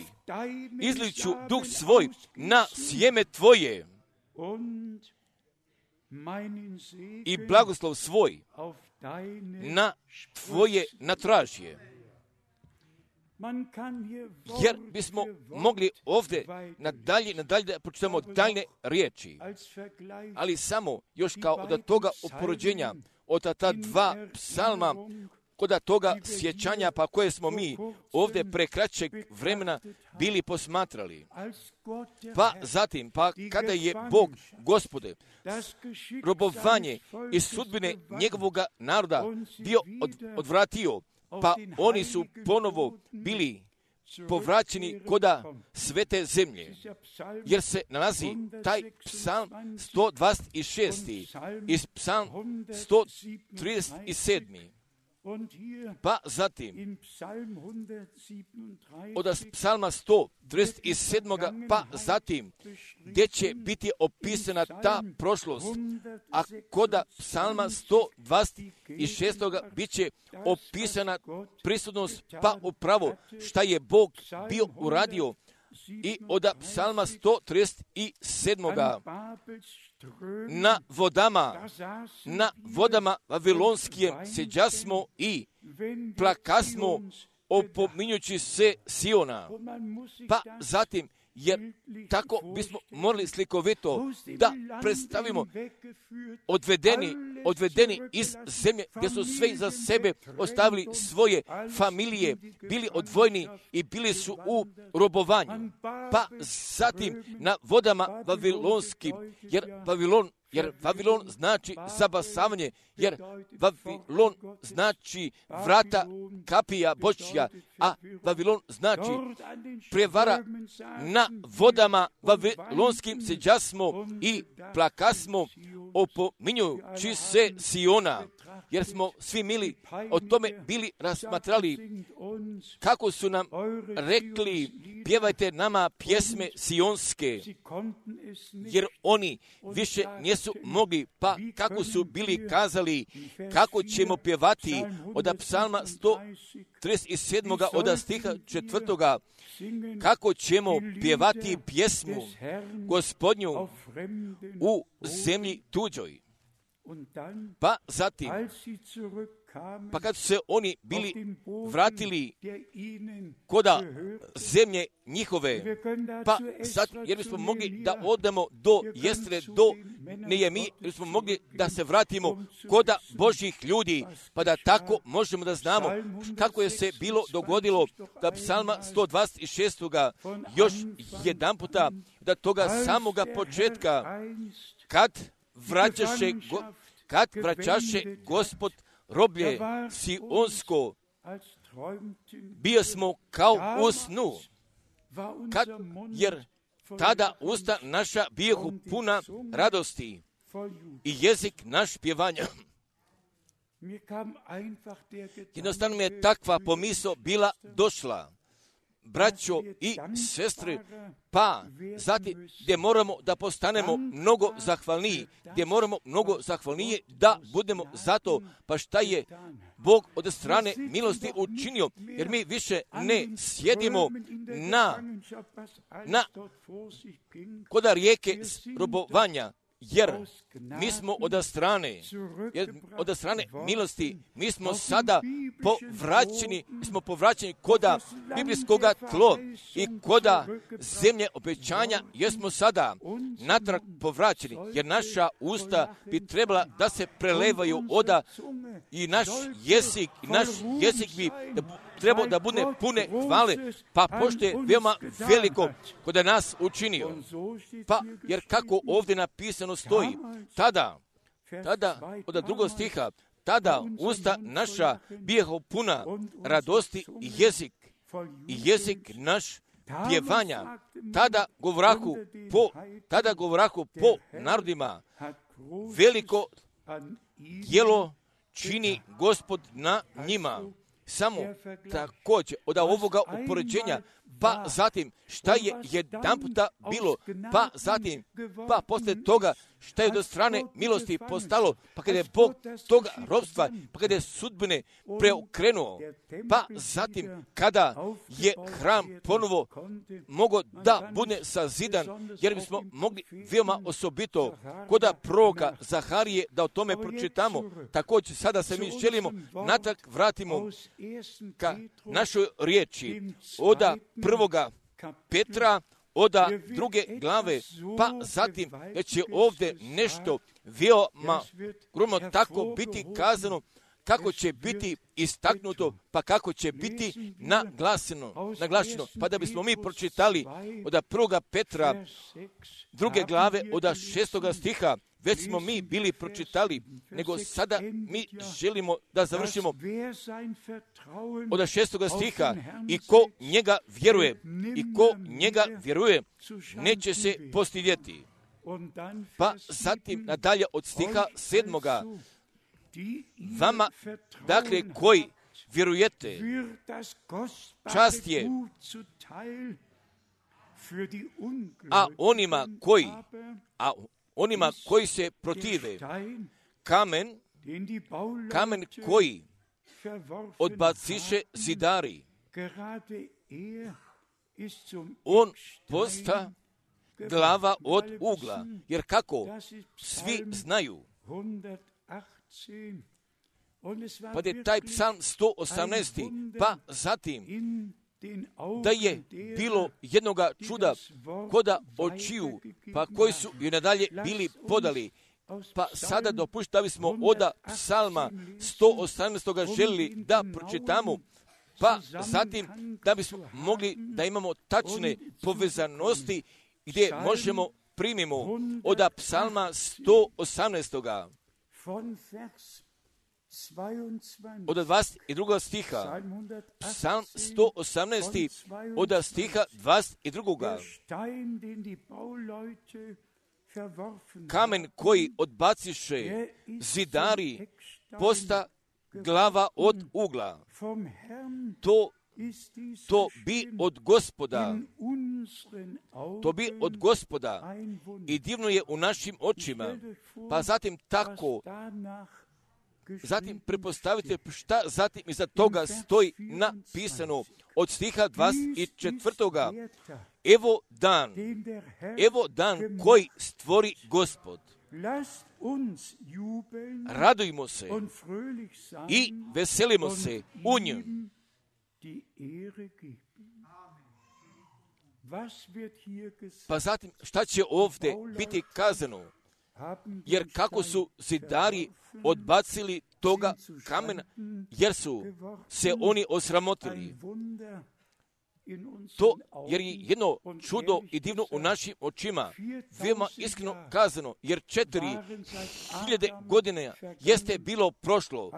izliću duh svoj na sjeme tvoje i blagoslov svoj na tvoje natražje. Jer bismo mogli ovdje nadalje, nadalje da pročitamo daljne riječi, ali samo još kao od toga upoređenja od ta dva psalma kod toga sjećanja, pa koje smo mi ovdje pre kraćeg vremena bili posmatrali. Pa zatim, pa kada je Bog, Gospode, robovanje i sudbine njegovoga naroda bio od, odvratio, pa oni su ponovo bili povraćeni koda svete zemlje, jer se nalazi taj psalm sto dvadeset šest i psalm sto trideset sedam. Pa zatim, od psalma sto trideset sedam. pa zatim, gdje će biti opisana ta prošlost, a koda psalma sto dvadeset šest. bit će opisana prisutnost, pa upravo šta je Bog bio uradio. I od psalma sto trideset sedam. na vodama, na vodama vavilonskim seđasmo i plakasmo opominjući se Siona. Pa zatim, jer tako bismo morali slikovito da predstavimo odvedeni, odvedeni iz zemlje gdje su sve za sebe ostavili svoje familije, bili odvojeni i bili su u robovanju. Pa zatim na vodama vavilonskim, jer Vavilon Jer Vavilon znači zabasavanje, jer Vavilon znači vrata kapija Božja, a Vavilon znači prevara. Na vodama vavilonskim seđasmo i plakasmo opominjući se Siona, jer smo svi mili o tome bili rasmatrali, kako su nam rekli, pjevajte nama pjesme sionske, jer oni više nisu mogli, pa kako su bili kazali, kako ćemo pjevati od psalma sto trideset sedam. od stiha četvrtoga, kako ćemo pjevati pjesmu Gospodnju u zemlji tuđoj. Pa zatim, pa kad su se oni bili vratili koda zemlje njihove, pa sad, jer bismo mogli da odemo do Jestre, do Nejemije, jer bismo mogli da se vratimo koda Božjih ljudi, pa da tako možemo da znamo kako je se bilo dogodilo da psalma sto dvadeset šest. još jedan puta, da toga samoga početka, kad vraćaše, go, kad vraćaše Gospod roblje sionsko, bio smo kao u snu, kad, jer tada usta naša bijehu puna radosti i jezik naš pjevanja. Jednostavno mi je takva pomisao bila došla, braćo i sestre, pa zatim gdje moramo da postanemo mnogo zahvalniji, gdje moramo mnogo zahvalniji da budemo zato, pa šta je Bog od strane milosti učinio, jer mi više ne sjedimo na, na koda rijeke robovanja, jer mi smo od strane, jer od strane milosti, mi smo sada povraćeni, mi smo povraćeni koda biblijskoga tlo i koda zemlje obećanja, jer smo sada natrag povraćeni, jer naša usta bi trebala da se prelevaju oda i naš jezik, i naš jezik bi trebao da bude pune hvale, pa pošto je veoma veliko kod nas učinio. Pa, jer kako ovdje napisano stoji, tada, tada, od drugog stiha, tada usta naša bijeho puna radosti i jezik, i jezik naš pjevanja, tada govrahu po, tada govrahu po narodima, veliko djelo čini Gospod na njima. Samo također od ovoga upoređenja, pa zatim šta je jedan puta bilo, pa zatim, pa poslije toga šta je do strane milosti postalo, pa kada je Bog toga robstva, pa kada je sudbine preokrenuo, pa zatim kada je hram ponovo mogao da bude sazidan, jer bismo mogli veoma osobito koda proroka Zaharije da o tome pročitamo. Također sada se mi želimo natrag vratimo ka našoj riječi oda prvoga Petra, oda druge glave, pa zatim da će ovdje nešto veoma gromno tako biti kazano, kako će biti istaknuto, pa kako će biti naglaseno, naglašeno. Pa da bismo mi pročitali od prvoga Petra, druge glave, od šestoga stiha, već smo mi bili pročitali, nego sada mi želimo da završimo od šestoga stiha. I ko njega vjeruje, i ko njega vjeruje, neće se postidjeti. Pa zatim nadalje od stiha sedmoga, vama, dakle, koji vjerujete, čast je, a onima koji, a onima koji se protive, kamen, kamen koji odbaciše zidari, on posta glava od ugla, jer kako svi znaju, pa je taj psalm sto osamnaest. Pa zatim da je bilo jednoga čuda koda očiju, pa koji su i nadalje bili podali. Pa sada dopušta da bismo od psalma sto osamnaest. želili da pročitamo, pa zatim da bismo mogli da imamo tačne povezanosti gdje možemo primimo od psalma sto osamnaest. Od dvadeset drugog stiha, psalm sto osamnaest, od stiha dvadeset drugog. Kamen koji odbaciše zidari, posta glava od ugla. To, to bi od Gospoda, to bi od Gospoda i divno je u našim očima. Pa zatim tako, zatim prepostavite šta zatim iza toga stoji napisano od stiha dvadeset četvrtog. Evo dan, evo dan koji stvori Gospod. Radujmo se i veselimo se u njemu. Pa zatim šta će ovdje biti kazano? Jer kako su zidari odbacili toga kamena, jer su se oni osramotili. To, jer je jedno čudo i divno u našim očima, veoma iskreno kazano, jer četiri hiljade godine jeste bilo prošlo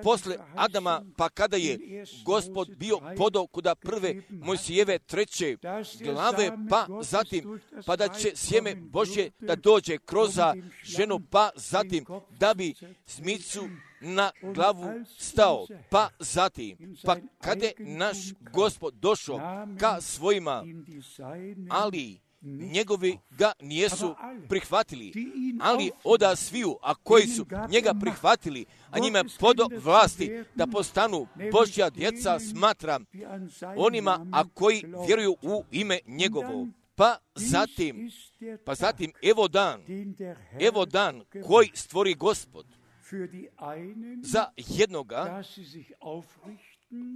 posle Adama, pa kada je Gospod bio podao kuda prve Mojsijeve treće glave, pa zatim, pa da će sjeme Božje da dođe kroz ženu, pa zatim da bi smicu na glavu stao, pa zatim, pa kada je naš Gospod došao ka svojima, ali njegovi ga nijesu prihvatili, ali oda sviju, a koji su njega prihvatili, a njima podo vlasti da postanu Božja djeca, smatram onima, a koji vjeruju u ime njegovo. Pa zatim, pa zatim, evo dan, evo dan koji stvori Gospod. Za jednoga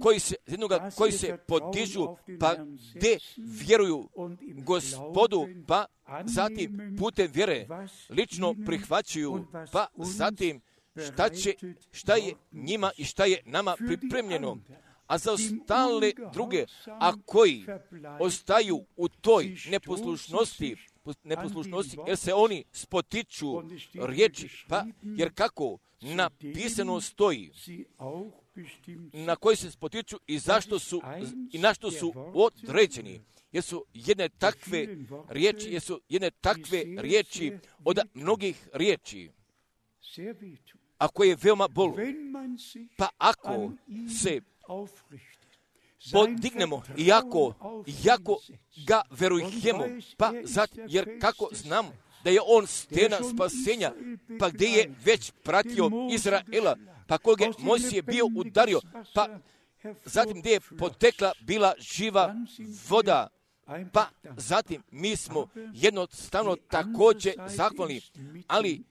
koji se, jednoga koji se podižu, pa gdje vjeruju Gospodu, pa zatim putem vjere lično prihvaćuju, pa zatim šta, će, šta je njima i šta je nama pripremljeno. A za ostale druge, a koji ostaju u toj neposlušnosti, neposlušnosti, jer se oni spotiču riječi, pa jer kako napisano stoji, na koji se spotiču i zašto su i na što su određeni. Jer su jedne takve riječi, jer su jedne takve riječi od mnogih riječi, a koje je veoma bolu. Pa ako se podignemo i ako, jako ga verujemo, pa zato, jer kako znamo da je on stena spasenja, pa gdje je već pratio Izraela, pa koga je Mojsije bio udario, pa zatim gdje je potekla bila živa voda, pa zatim mi smo jednostavno također zahvalni, ali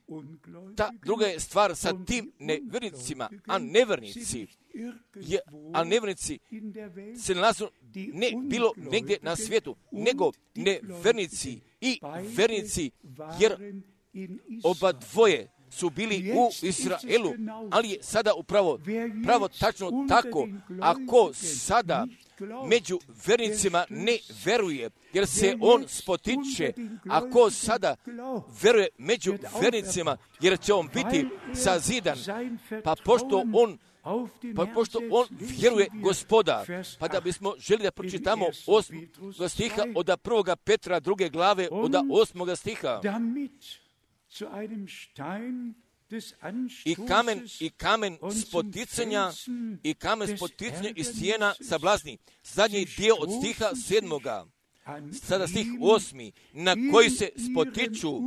ta druga je stvar sa tim nevernicima, a nevernici, je, a nevernici se nalazu ne bilo negdje na svijetu, nego nevernici i vernici, jer oba dvoje su bili u Izraelu, ali je sada upravo pravo tačno tako. Ako sada među vernicima ne veruje, jer se on spotiče, ako sada veruje među vernicima, jer će on biti sazidan, pa pošto on Pa pošto on vjeruje Gospoda, pa da bismo želi da pročitamo osmoga stiha od prvoga Petra druge glave od osmoga stiha. I kamen, i kamen spoticanja, i kamen spoticanja i stijena sablazni. Zadnji dio od stiha sedmoga. Sada stih osmi, na koji se spotiču,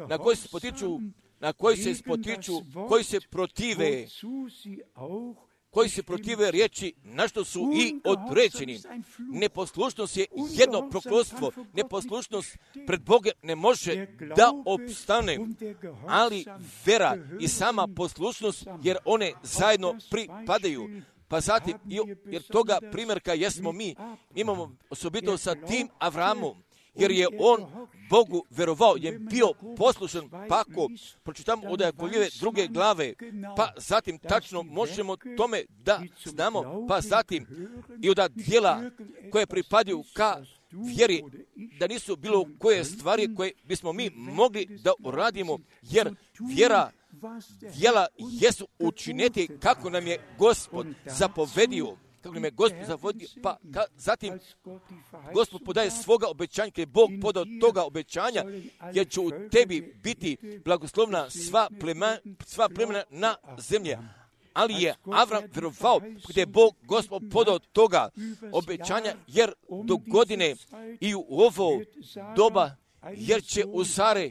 na koji se spotiču, na koji se spotiču, koji se protive, koji se protive riječi, na što su i određeni. Neposlušnost je jedno prokletstvo. Neposlušnost pred Bogom ne može da opstane, ali vera i sama poslušnost, jer one zajedno pripadaju. Pa zatim, jer toga primjerka jesmo mi, imamo osobito sa tim Avramom, jer je on Bogu verovao, je bio poslušan, pa ako pročitamo od Jakovljeve druge glave, pa zatim tačno možemo tome da znamo, pa zatim i od dijela koje pripadaju ka vjeri, da nisu bilo koje stvari koje bismo mi mogli da uradimo, jer vjera, djela jesu učiniti kako nam je Gospod zapovedio. Kako nam je Gospod zavodio, pa ka, zatim Gospod podaje svoga obećanja, kada je Bog podao toga obećanja, jer će u tebi biti blagoslovna sva plemena, sva plemena na zemlje. Ali je Avram vjerovao kada je Bog Gospod podao toga obećanja, jer do godine i u ovo doba, jer će u Sare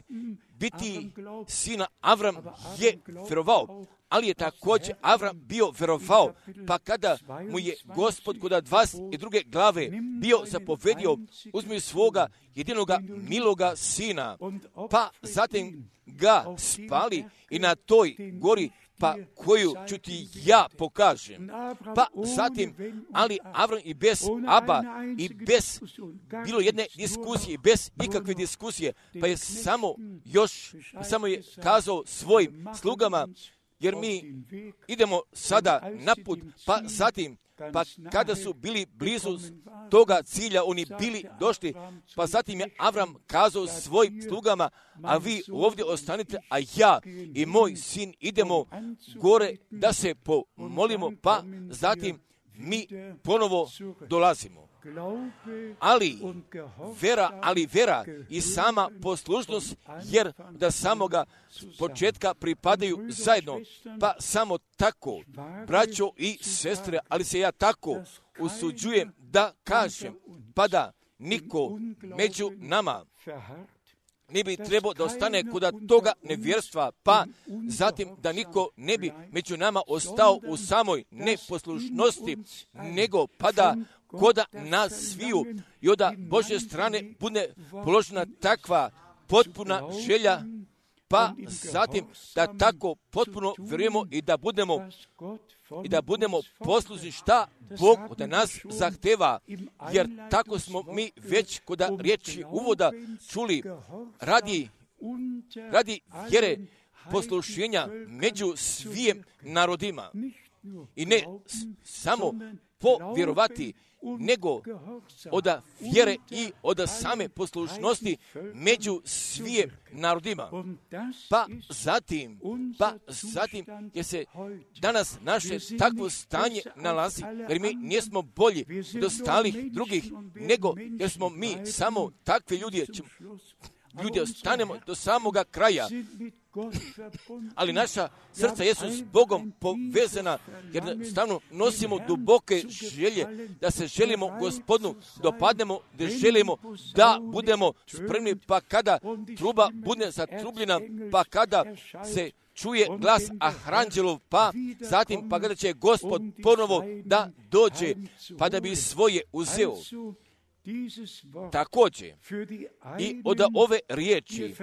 biti sina, Avram je vjerovao. Ali je također Avram bio verovao, pa kada mu je Gospod kod dvadeset druge glave bio zapovedio, uzmi svoga jedinoga miloga sina, pa zatim ga spali i na toj gori, pa koju ću ti ja pokažem. Pa zatim, ali Avram i bez Aba i bez bilo jedne diskusije, bez ikakve diskusije, pa je samo još, samo je kazao svojim slugama, jer mi idemo sada naput, pa zatim, pa kada su bili blizu toga cilja, oni bili došli, pa zatim je Avram kazao svojim slugama, a vi ovdje ostanite, a ja i moj sin idemo gore da se pomolimo, pa zatim mi ponovo dolazimo. Ali vera, ali vera i sama poslušnost, jer da samoga početka pripadaju zajedno, pa samo tako, braćo i sestre, ali se ja tako usuđujem da kažem, pa da niko među nama ne bi trebao da ostane kod toga nevjerstva, pa zatim da niko ne bi među nama ostao u samoj neposlušnosti, nego pa da koda nas sviju i od Božje strane bude položena takva potpuna želja, pa zatim da tako potpuno vjerujemo i da budemo i da budemo poslušni šta Bog od nas zahteva, jer tako smo mi već kod riječi uvoda čuli, radi, radi vjere poslušenja među svim narodima i ne samo povjerovati, nego od vjere i od same poslušnosti među svim narodima. Pa zatim, pa zatim je se danas naše takvo stanje nalazi, jer mi nismo bolji od ostalih drugih, nego jer smo mi samo takvi ljudi, ljudi ostanemo do samoga kraja. Ali naša srca jesu s Bogom povezana, jer stavno nosimo duboke želje da se želimo Gospodinu dopadnemo, da želimo da budemo spremni, pa kada truba bude zatrubljena, pa kada se čuje glas Aranđelov, pa zatim pa kada će Gospod ponovo da dođe, pa da bi svoje uzeo. Također i od ove riječi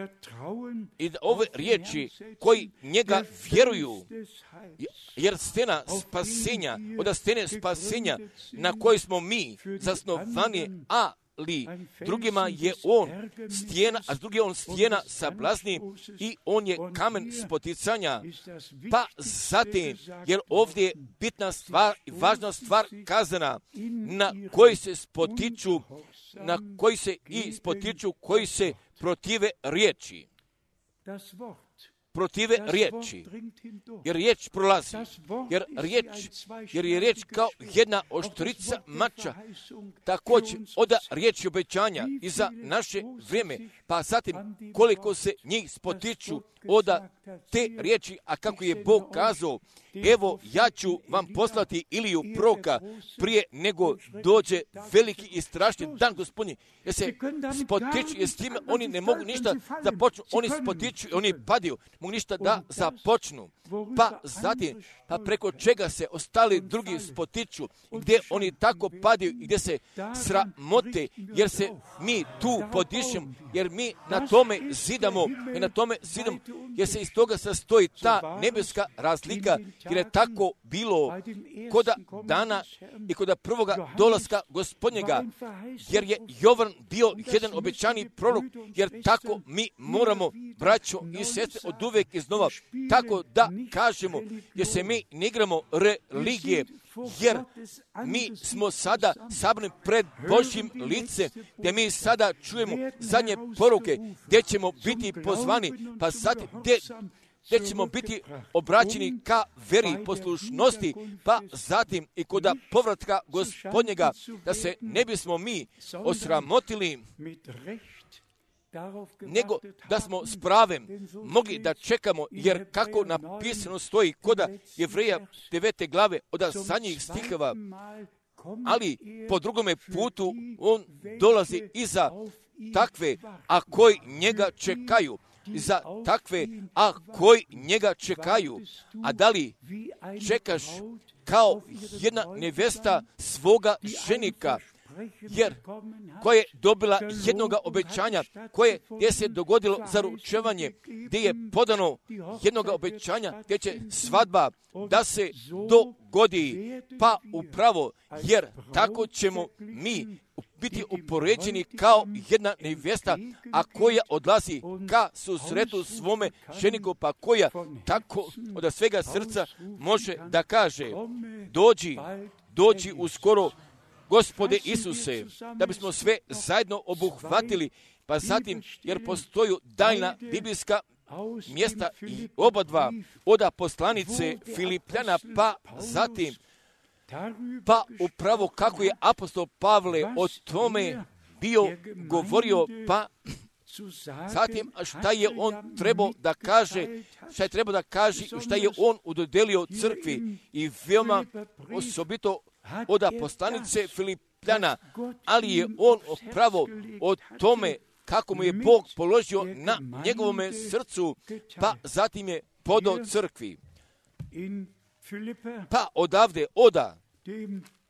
i da ove riječi koji njega vjeruju, jer stena spasenja, od stene spasenja na kojoj smo mi zasnovani, a ali drugima je on stijena, a s druge on stijena sablazni i on je kamen spoticanja. Pa zatim, jer ovdje je bitna stvar i važna stvar kazana, na koji se spotiču, na koji se i spotiču, koji se protive riječi. Protive riječi, jer riječ prolazi, jer riječ, jer je riječ kao jedna oštrica mača, također oda riječi obećanja i za naše vrijeme, pa zatim koliko se njih spotiču oda te riječi, a kako je Bog kazao, evo ja ću vam poslati Iliju proroka prije nego dođe veliki i strašni dan Gospodnji, jer se spotiču, jer s time oni ne mogu ništa započnu, oni spotiču i oni padaju, mogu ništa da započnu. Pa zatim, pa preko čega se ostali drugi spotiču, gdje oni tako padaju i gdje se sramote, jer se mi tu podišemo, jer mi na tome zidamo, i na tome zidamo, jer se iz toga sastoji ta nebeska razlika, jer je tako bilo koda dana i koda prvoga dolaska Gospodnjega, jer je Jovan bio jedan obećani prorok, jer tako mi moramo, braćo i sestre, od uvek iznova, tako da kažemo, jer se mi ne igramo religije, jer mi smo sada sabrani pred Božjim licem, gdje mi sada čujemo zadnje poruke, gdje ćemo biti pozvani, pa sad gdje, gdje ćemo biti obraćeni ka veri poslušnosti, pa zatim i kod povratka Gospodnjega, da se ne bismo mi osramotili, nego da smo s pravem mogli da čekamo, jer kako napisano stoji koda Jevreja devete glave od zadnjih stihova, ali po drugome putu on dolazi iza takve, a koji njega čekaju, za takve, a koji njega čekaju. A da li čekaš kao jedna nevesta svoga ženika, jer koja je dobila jednoga obećanja, koje gdje se dogodilo zaručevanje, gdje je podano jednoga obećanja, gdje će svadba da se dogodi, pa upravo, jer tako ćemo mi biti upoređeni kao jedna nevesta, a koja odlazi ka susretu svome ženiku, pa koja tako od svega srca može da kaže, dođi, dođi uskoro, Gospode Isuse, da bismo sve zajedno obuhvatili, pa zatim, jer postoju daljna biblijska mjesta i oba dva oda poslanice Filipljana, pa zatim, pa upravo kako je apostol Pavle o tome bio govorio, pa zatim šta je on trebao da kaže, šta je trebao da kaže, šta je on udodelio crkvi i veoma osobito oda poslanice Filipljana, ali je on upravo o tome kako mu je Bog položio na njegovome srcu, pa zatim je podao crkvi. Pa odavde oda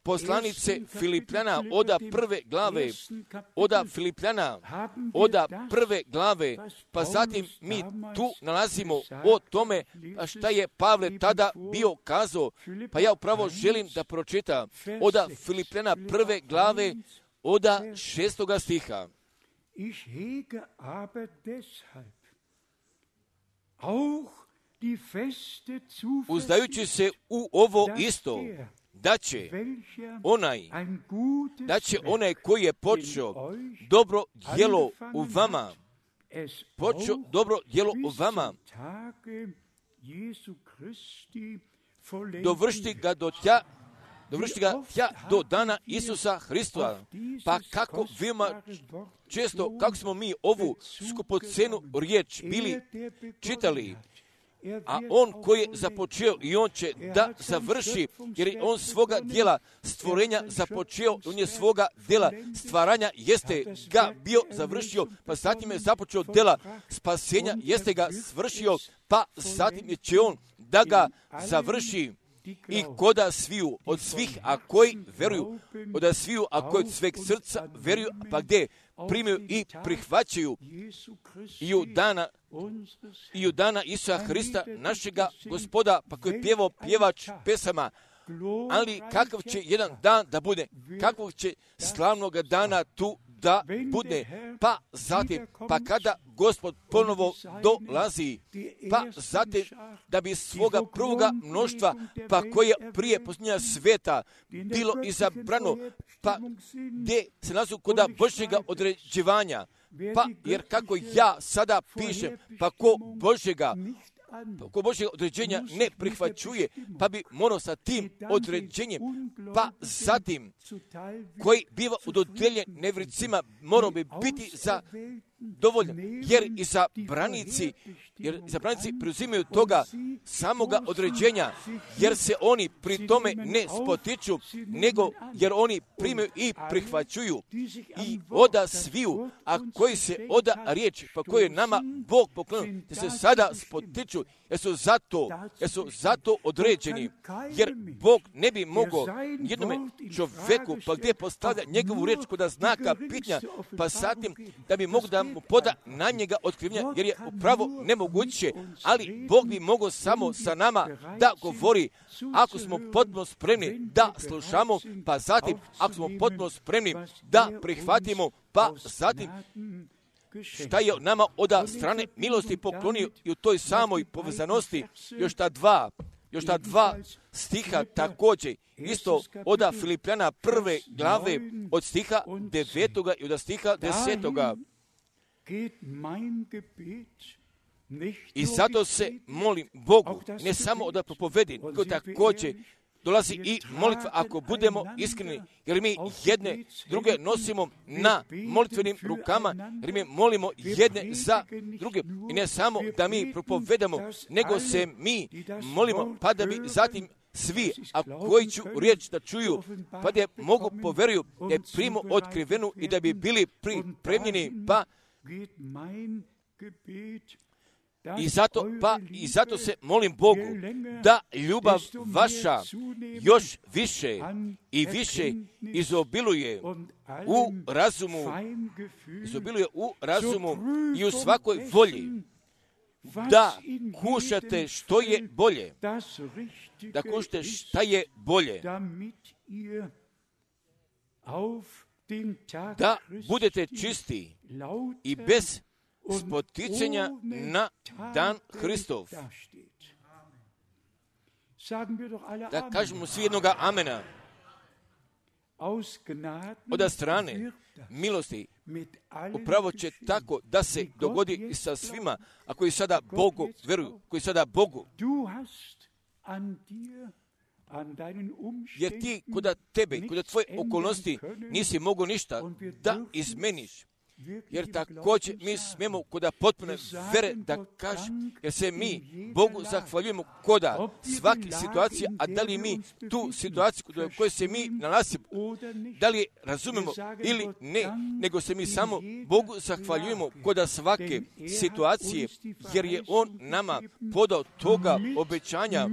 poslanice Filipljana, oda prve glave, oda Filipljana, oda prve glave, pa zatim mi tu nalazimo o tome šta je Pavle tada bio kazao, pa ja upravo želim da pročitam oda Filipljana prve glave, oda šestoga stiha. Ich hege aber deshalb auch die feste Zuversicht, uzdajući se u ovo isto, da će onaj, da će onaj koji je počeo dobro djelo u vama, počeo dobro djelo u vama, dovršiti ga do tja, dovršiti ga tja do dana Isusa Hrista. Pa kako veoma često, kako smo mi ovu skupocenu riječ bili čitali, a on koji je započeo i on će da završi, jer je on svoga djela stvorenja započeo, on je svoga djela stvaranja, jeste ga bio završio, pa zatim je započeo djela spasenja, jeste ga svršio, pa zatim će on da ga završi i koda sviju od svih, a koji veruju, od sviju, a koji od sveg srca veruju, pa gdje primaju i prihvaćaju i u dana i u dana Isusa Hrista, našega Gospoda, pa koji je pjevao pjevač pesama, ali kakav će jedan dan da bude, kakvog će slavnog dana tu da bude, pa zatim, pa kada Gospod ponovo dolazi, pa zatim da bi svoga prvoga mnoštva, pa koje prije posljednja sveta bilo izabrano, pa gdje se nalazu kod Božjega određivanja, pa jer kako ja sada pišem, pa ko Božjega ko Božjega određenja ne prihvaćuje, pa bi morao sa tim određenjem, pa zatim koji biva udodijeljen nevjernicima, morao bi biti za dovoljan, jer i za branici, jer za branici preuzimaju toga samoga određenja, jer se oni pri tome ne spotiču, nego jer oni primaju i prihvaćuju i oda sviju, a koji se oda riječ, pa koji je nama Bog poklonio, da se sada spotiču, jer su zato, jer su zato određeni, jer Bog ne bi mogao jednome čovjeku, pa gdje postavlja njegovu riječ kod znaka pitanja, pa zatim da bi mogao da mu poda na njega otkrivljenja, jer je upravo nemoguće, ali Bog bi mogao samo sa nama da govori, ako smo potpuno spremni da slušamo, pa zatim ako smo potpuno spremni da prihvatimo, pa zatim šta je nama od strane milosti poklonio i u toj samoj povezanosti još ta dva, još ta dva stiha također, isto od Filipljana prve glave od stiha devetoga i od stiha desetoga. I zato se molim Bogu, ne samo od propovedi, nego također dolazi i molitva ako budemo iskreni, jer mi jedne druge nosimo na molitvenim rukama, jer mi molimo jedne za druge. I ne samo da mi propovedamo, nego se mi molimo, pa da bi zatim svi, a koji ću riječ da čuju, pa da mogu poveruju, da je primu otkrivenu i da bi bili pripremljeni, pa I zato, pa, I zato se molim Bogu da ljubav vaša još više i više izobiluje u razumu, izobiluje u razumu i u svakoj volji, da kušate što je bolje, da kušate šta je bolje, da budete čisti i bez spoticanja na dan Hristov. Da kažemo svi jednoga amena. Od strane milosti upravo će tako da se dogodi i sa svima, a koji sada Bogu veruju, koji sada Bogu. Jer ti kod tebe, kod tvoje okolnosti nisi mogao ništa da izmeniš. Jer također mi smijemo koda potpune vere da kažem, jer se mi Bogu zahvaljujemo koda svake situacije, a da li mi tu situaciju u kojoj se mi nalazimo, da li razumemo ili ne, nego se mi samo Bogu zahvaljujemo koda svake situacije, jer je On nama podao toga obećanja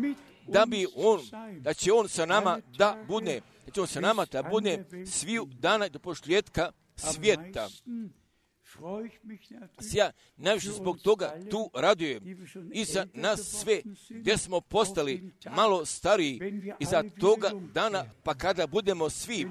da bi On, da će On sa nama da bude, da će On sa nama da bude sviju dana do pošljetka svijeta. Ja najviše zbog toga tu radujem i za nas sve gdje smo postali malo stariji i za toga dana, pa kada budemo svi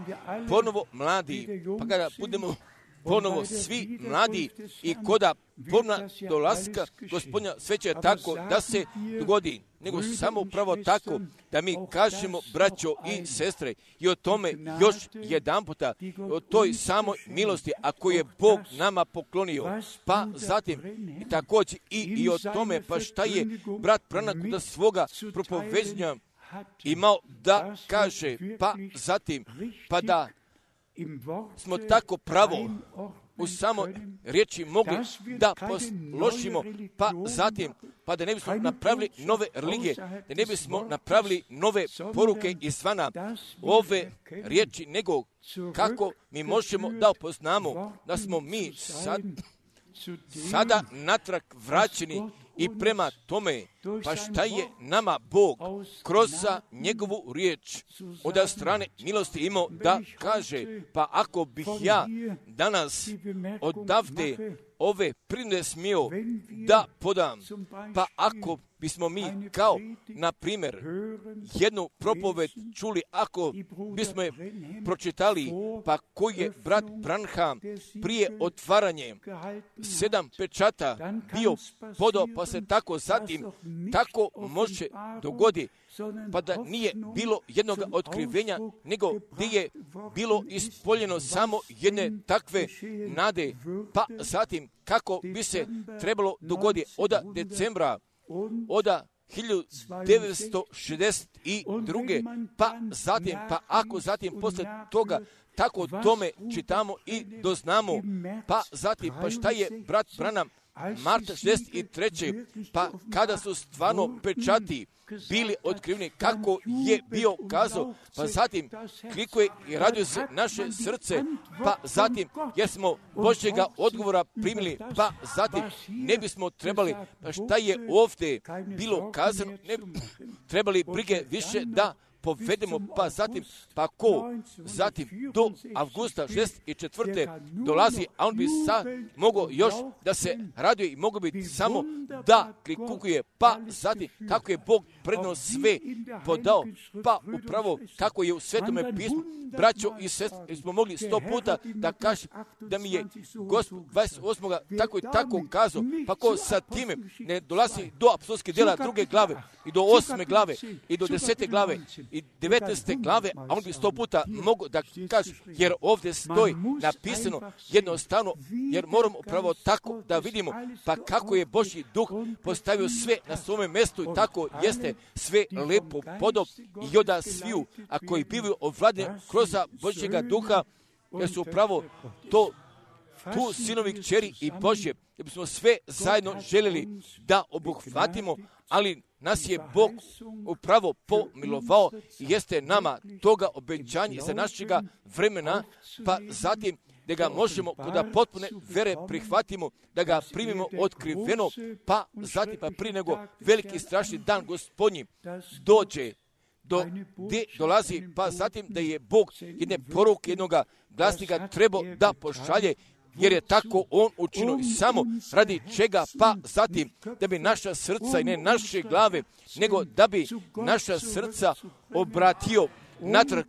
ponovo mladi, pa kada budemo ponovo svi mladi i koda ponovna dolaska Gospodnja, sve će tako da se dogodi, nego samo upravo tako da mi kažemo, braćo i sestre, i o tome još jedan puta, o toj samoj milosti, a koju je Bog nama poklonio, pa zatim i također i, i o tome, pa šta je brat Pranak da svoga propoveđenja imao da kaže, pa zatim, pa da smo tako pravo u samo riječi mogli da posložimo, pa zatim, pa da ne bismo napravili nove religije, da ne bismo napravili nove poruke izvana ove riječi, nego kako mi možemo da upoznamo da smo mi sad, sada natrag vraćeni i prema tome, pa šta je nama Bog kroz njegovu riječ od strane milosti imao da kaže, pa ako bih ja danas odavde ove primjere smio da podam, pa ako bismo mi kao, na primjer, jednu propoved čuli, ako bismo je pročitali, pa koji je brat Branham prije otvaranje sedam pečata bio podao, pa se tako zatim tako može dogodi, pa da nije bilo jednog otkrivenja, nego gdje je bilo ispoljeno samo jedne takve nade, pa zatim kako bi se trebalo dogoditi od decembra, od hiljadu devetsto šezdeset druge. pa zatim, pa ako zatim posle toga tako tome čitamo i doznamo, pa zatim, pa šta je brat Branham marta šezdeset treće. pa kada su stvarno pečati bili otkriveni, kako je bio kazao, pa zatim klikuje i raduje se naše srce, pa zatim jer smo Božjega odgovora primili, pa zatim ne bismo trebali, pa šta je ovdje bilo kazano, ne trebali brige više da povedemo, pa zatim, pa ko zatim do avgusta šezdeset četvrte dolazi, a on bi sad mogao još da se raduje i mogao bi samo da klikukuje, pa zatim kako je Bog predno sve podao, pa upravo kako je u Svetome pismu, braćo i sestre, smo mogli sto puta da kaže da mi je Gospod dvadeset osmog tako i tako kazao, pa ko sa time ne dolazi do apostolskih djela druge glave i do osme glave i do desete glave i devetnaeste glave, a on bi sto puta mogao da kaže, jer ovdje stoji napisano jednostavno, jer moramo upravo tako da vidimo, pa kako je Božji duh postavio sve na svome mjestu i tako jeste sve lepo podao i oda sviju, a koji bivaju ovladne kroz Božjega duha, jer su upravo to tu sinovi kćeri i Božje, da bismo sve zajedno željeli da obuhvatimo, ali nas je Bog upravo pomilovao i jeste nama toga obećanja za našega vremena, pa zatim da ga možemo kod potpune vere prihvatimo, da ga primimo otkriveno, pa zatim pa prije nego veliki strašni dan Gospodnji dođe, do gdje dolazi, pa zatim da je Bog jedne poruke, jednoga glasnika trebao da pošalje, jer je tako on učinio i samo radi čega, pa zatim da bi naša srca i ne naše glave, nego da bi naša srca obratio natrag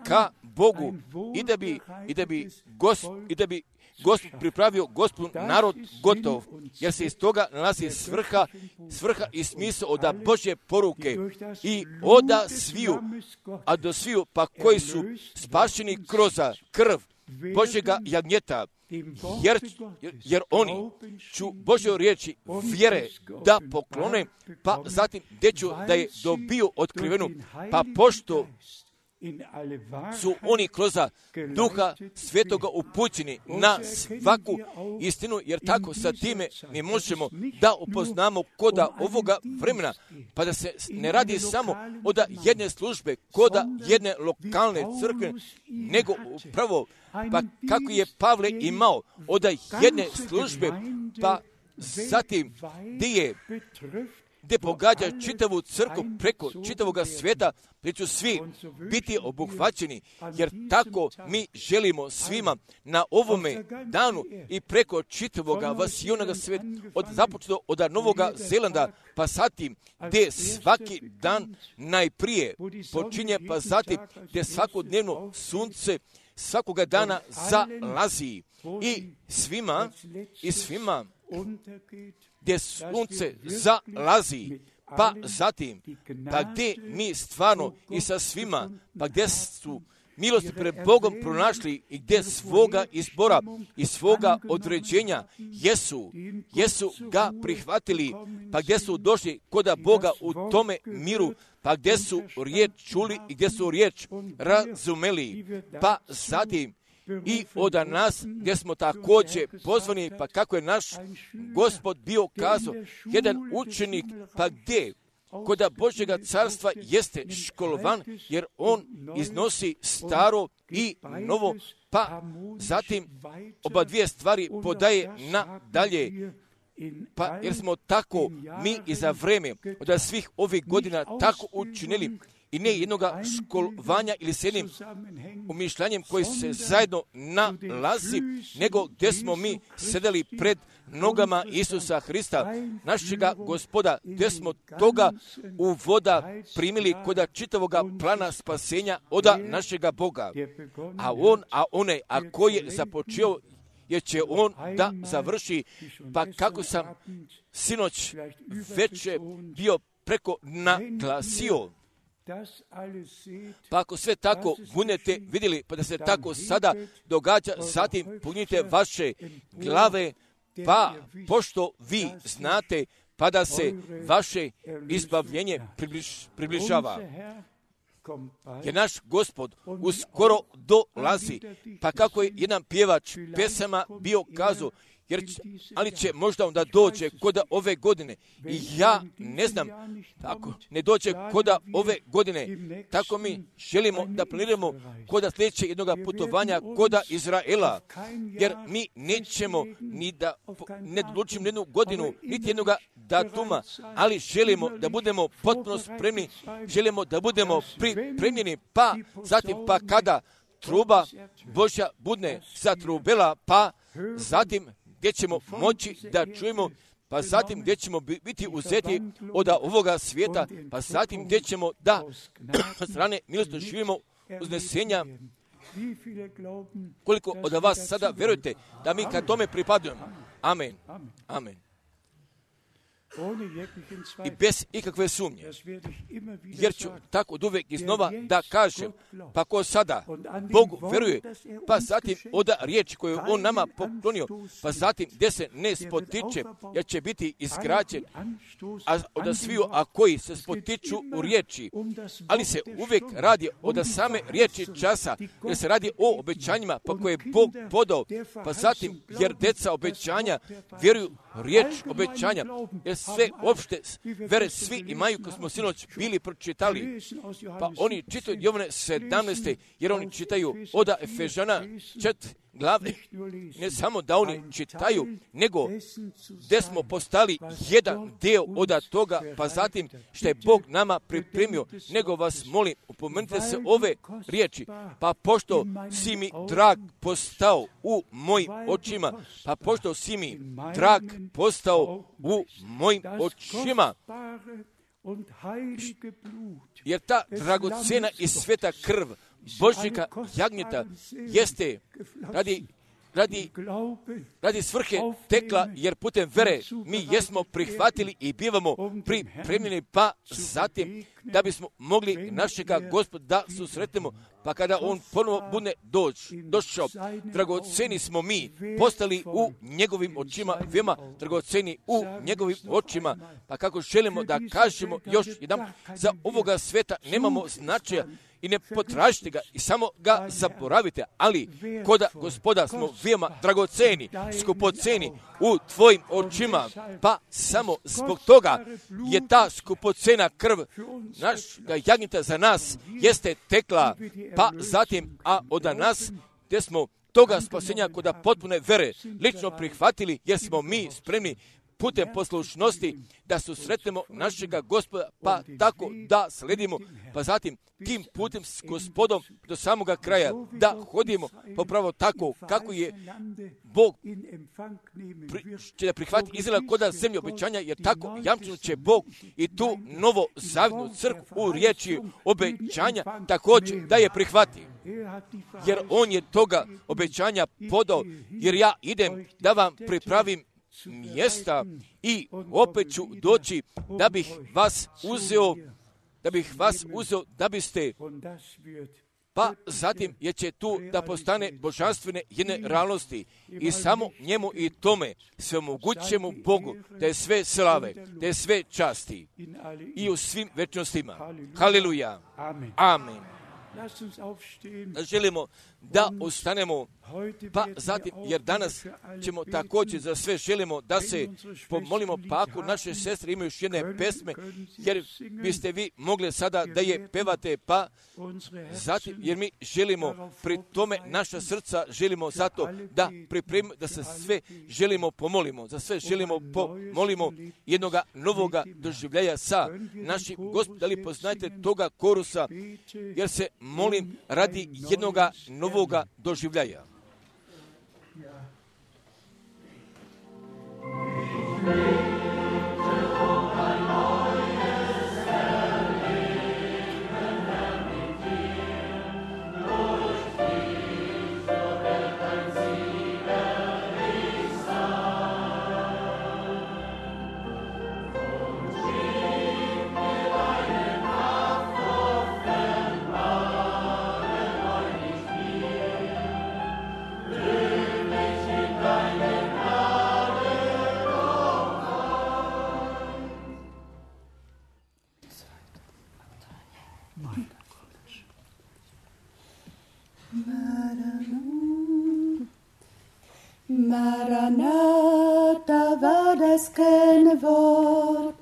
ka Bogu i da bi, i da bi, gos, i da bi Gospod pripravio Gospodu narod gotov, jer se iz toga nalazi svrha, svrha i smisao od Božje poruke i oda sviju, a do sviju pa koji su spašeni kroz krv Božjega jagnjeta, jer, jer oni ću Božjoj riječi vjere da poklone, pa zatim gdje ću da je dobio otkrivenu, pa pošto su oni kroz Duha Svetoga upućeni na svaku istinu, jer tako sa time mi možemo da upoznamo koda ovoga vremena, pa da se ne radi samo od jedne službe, koda jedne lokalne crkve, nego upravo pa kako je Pavle imao od jedne službe, pa zatim gdje je gdje pogađa čitavu crkvu preko čitavoga svijeta, gdje će svi biti obuhvaćeni, jer tako mi želimo svima na ovome danu i preko čitavoga vasijonoga svijeta, od započeto od Novoga Zelanda, pa zatim gdje svaki dan najprije počinje, pa zatim gdje svakodnevno sunce svakoga dana zalazi i svima, i svima gdje sunce zalazi, pa zatim, pa gdje mi stvarno i sa svima, pa gdje su milosti pred Bogom pronašli i gdje svoga izbora i svoga određenja jesu, jesu ga prihvatili, pa gdje su došli koda Boga u tome miru, pa gdje su riječ čuli i gdje su riječ razumeli, pa zatim i od nas gdje smo također pozvani, pa kako je naš Gospod bio kazao, jedan učenik, pa gdje koda Božjega carstva jeste školovan, jer on iznosi staro i novo, pa zatim oba dvije stvari podaje nadalje, pa jer smo tako mi i za vreme od svih ovih godina tako učinili i ne jednoga školovanja ili s jednim umišljanjem koji se zajedno nalazi, nego gdje smo mi sedeli pred nogama Isusa Hrista, našega Gospoda, gdje smo toga uvoda primili kod čitavoga plana spasenja od našega Boga. A on, a one, a ko je započeo, jer će on da završi, pa kako sam sinoć večer bio preko naglasio, pa ako sve tako budete vidjeli, pa da se tako sada događa, zatim punite vaše glave, pa pošto vi znate, pa da se vaše izbavljenje približ, približava. Jer naš Gospod uskoro dolazi, pa kako je jedan pjevač pesama bio kazao, jer, ali će možda onda dođe kod ove godine. I ja ne znam, ako ne dođe kod ove godine, tako mi želimo da planiramo kod sljedeće jednog putovanja kod Izraela, jer mi nećemo ni da ne odlučimo jednu godinu, niti jednog datuma, ali želimo da budemo potpuno spremni, želimo da budemo pripremljeni, pa zatim pa kada truba Božja budne zatrubela, pa zatim gdje ćemo moći da čujemo, pa zatim gdje ćemo biti uzeti od ovoga svijeta, pa zatim gdje ćemo da strane milosti živimo uznesenja. Koliko od vas sada vjerujete da mi ka tome pripadujemo? Amen. Amen. I bez ikakve sumnje, jer ću tako od uvijek iznova da kažem, pa ko sada Bogu veruje, pa zatim od riječi koju on nama poklonio, pa zatim gdje se ne spotiče, jer će biti izgrađen, a od sviju, a koji se spotiču u riječi, ali se uvijek radi od same riječi časa, jer se radi o obećanjima, pa koje je Bog podao, pa zatim jer deca obećanja vjeruju riječ obećanja, jer sve opšte vere svi imaju, ko smo sinoć bili pročitali, pa oni čitaju Jovane sedamnaeste, jer oni čitaju od Efežana četiri glave, ne samo da oni čitaju, nego gdje smo postali jedan dio od toga, pa zatim što je Bog nama pripremio, nego vas molim, upomenite se ove riječi, pa pošto si mi drag postao u mojim očima, pa pošto si mi drag postao u mojim očima, jer ta dragocjena i sveta krv Božjega jagnjeta jeste radi, radi, radi svrhe tekla, jer putem vere mi jesmo prihvatili i bivamo pripremljeni, pa zatim da bismo mogli našega Gospoda da susretnemo, pa kada on ponovo bude doć, došao, dragoceni smo mi postali u njegovim očima, veoma dragoceni u njegovim očima, pa kako želimo da kažemo još jedan, za ovoga sveta nemamo značaja, i ne potražite ga i samo ga zaboravite, ali kod Gospoda smo veoma dragoceni, skupoceni u tvojim očima, pa samo zbog toga je ta skupocena krv našega jagnjeta za nas jeste tekla, pa zatim, a od nas gdje smo toga spasenja kod potpune vere lično prihvatili, jer smo mi spremni putem poslušnosti da susretnemo našega Gospoda, pa tako da sledimo, pa zatim tim putem s Gospodom do samoga kraja da hodimo popravo tako kako je Bog pri, će da prihvati Izraela kod zemlje obećanja, jer tako jamčeno će Bog i tu novo zavjetnu crkvu u riječi obećanja također da je prihvati. Jer on je toga obećanja podao, jer ja idem da vam pripravim mjesta i opet ću doći da bih vas uzeo, da bih vas uzeo da biste, pa zatim je će tu da postane božanstvene jedne realnosti i samo njemu i tome svemogućemu Bogu da je sve slave, da je sve časti i u svim večnostima. Haleluja. Amen. želimo da ustanemo, pa zatim, jer danas ćemo također za sve želimo da se pomolimo, pa ako naše sestre imaju još jedne pesme, jer biste vi mogli sada da je pevate, pa zatim, jer mi želimo pri tome naša srca želimo zato da pripremimo, da se sve želimo pomolimo, za sve želimo pomolimo jednoga novoga doživljaja sa našim Gospodom. Da li poznajete toga korusa, jer se molim radi jednoga novoga doživljaja. Maranatha war das Kennwort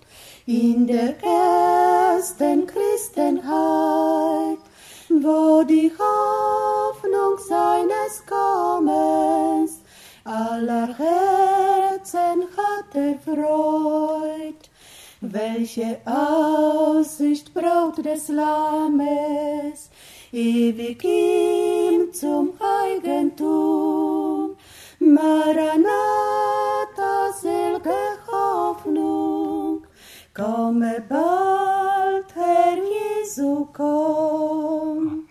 in der ersten Christenheit, wo die Hoffnung seines Kommens aller Herzen hatte Freud. Welche Aussicht Braut des Lammes, ewig ihm zum Eigentum. Maranatha, selge Hoffnung, komme bald, Herr Jesu, komm.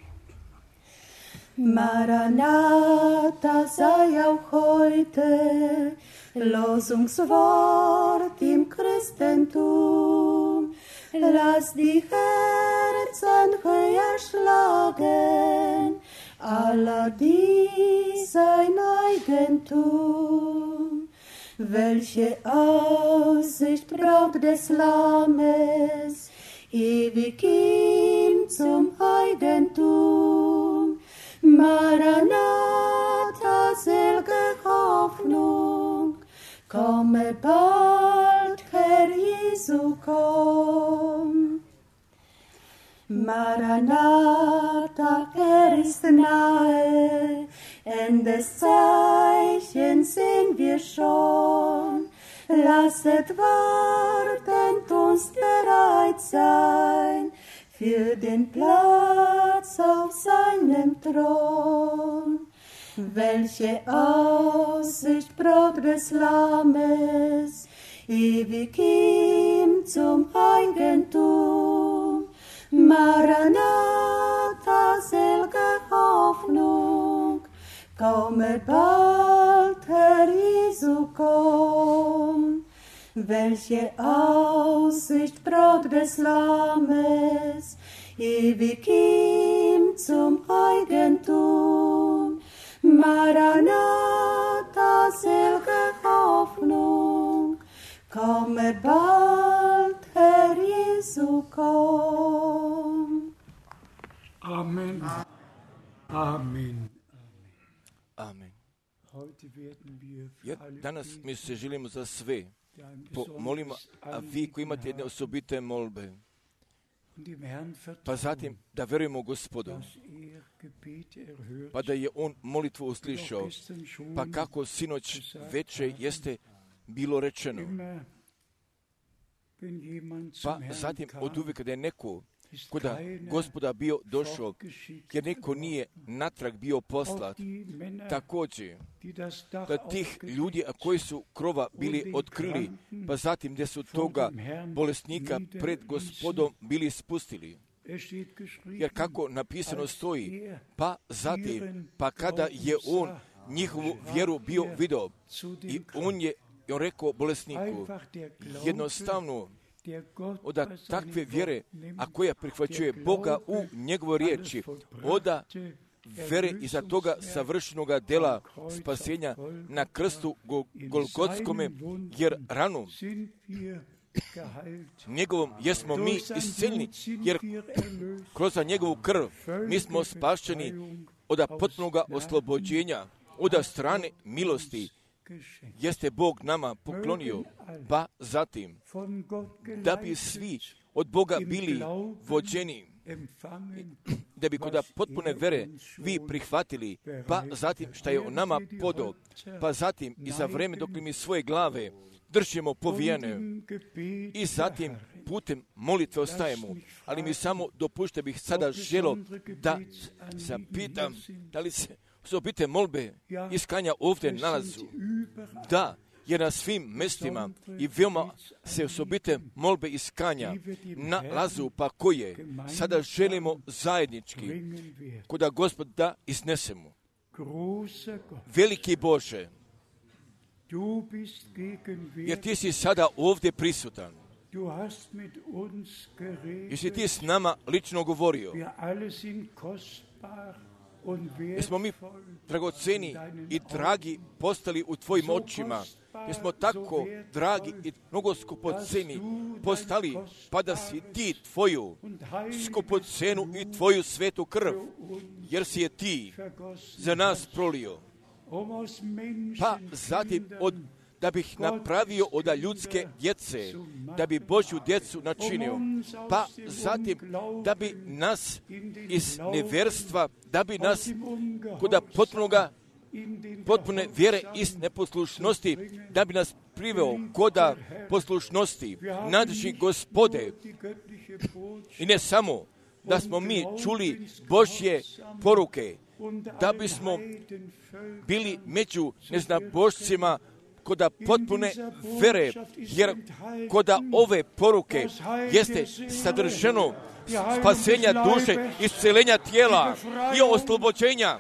Maranatha sei auch heute Losungswort im Christentum. Lass die Herzen höher schlagen, aller die sein Eigentum. Welche Aussicht Braut des Lammes, ewig ihm zum Eigentum. Maranatha, selge Hoffnung, komme bald, Herr Jesu, komm. Maranatha, er ist nahe, Endes Zeichen sehen wir schon. Lasset wartend uns bereit sein für den Platz auf seinem Thron. Welche Aussicht Braut des Lammes, ewig ihm zum Eigentum. Maranatha, selge Hoffnung, komme bald, Herr Jesu, komm. Welche Aussicht Braut des Lammes, ewig ihm zum Eigentum. Maranatha, selge Hoffnung, komme bald, Herr Jesu, komm. Amen. Amen. Amen. Ja, danas mi se želimo za sve pomolimo, a vi koji imate jedne osobite molbe, pa zatim da verujemo Gospodu, pa da je On molitvu uslišao, pa kako sinoć veče jeste bilo rečeno, pa zatim od uvijek kada je neko kuda Gospoda bio došao, jer neko nije natrag bio poslat, također da tih ljudi koji su krova bili otkrili, pa zatim gdje su toga bolesnika pred Gospodom bili spustili. Jer kako napisano stoji, pa zatim, pa kada je on njihovu vjeru bio vidio, i on je on rekao bolesniku, jednostavno, oda takve vjere, a koja prihvaćuje Boga u njegovoj riječi, oda vere iza toga savršenoga dela spasenja na krstu Golgotskome, jer ranu njegovom jesmo mi isceljeni, jer kroz njegovu krv mi smo spašćeni od potpunog oslobođenja, od strane milosti, jeste Bog nama poklonio, pa zatim, da bi svi od Boga bili vođeni, da bi kod potpune vere vi prihvatili, pa zatim šta je o nama podao, pa zatim i za vreme dok mi svoje glave držimo povijene i zatim putem molitve ostajemo. Ali mi samo dopušte bih sada želo da zapitam da li se osobite molbe iskanja ovdje nalazu. Da, jer na svim mestima i veoma se osobite molbe iskanja nalazu, pa koje sada želimo zajednički koda Gospod da iznesemo. Veliki Bože, jer ti si sada ovdje prisutan. Jesi ti s nama lično govorio. Jer smo mi dragoceni i dragi postali u tvojim očima. Jer smo tako dragi i mnogo skupoceni postali, pa da si ti tvoju skupocenu i tvoju svetu krv, jer si je ti za nas prolio. Pa zatim od, da bih napravio od ljudske djece, da bi Božju djecu načinio, pa zatim da bi nas iz nevjerstva, da bi nas kod potpunoga, potpune vjere iz neposlušnosti, da bi nas priveo koda poslušnosti, nadši Gospode. I ne samo da smo mi čuli Božje poruke, da bismo bili među neznabošcima koda potpune vere, jer koda ove poruke jeste sadržano spasenja duše, iscelenja tijela i oslobođenja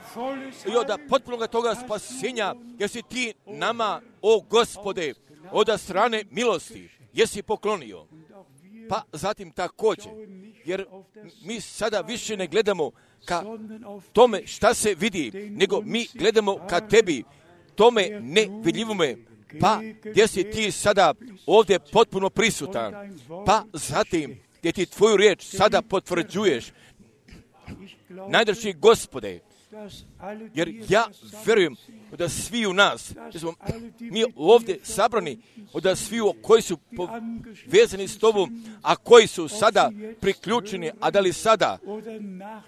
i od potpunog toga spasenja, jer si ti nama, o Gospode, od strane milosti, jesi poklonio. Pa zatim također, jer mi sada više ne gledamo ka tome šta se vidi, nego mi gledamo ka tebi, tome nevidljivome, pa gdje si ti sada ovdje potpuno prisutan, pa zatim gdje ti tvoju riječ sada potvrđuješ, najdraži Gospode, jer ja vjerujem da svi u nas, da smo mi ovdje sabrani, da svi koji su povezani s tobom, a koji su sada priključeni, a da li sada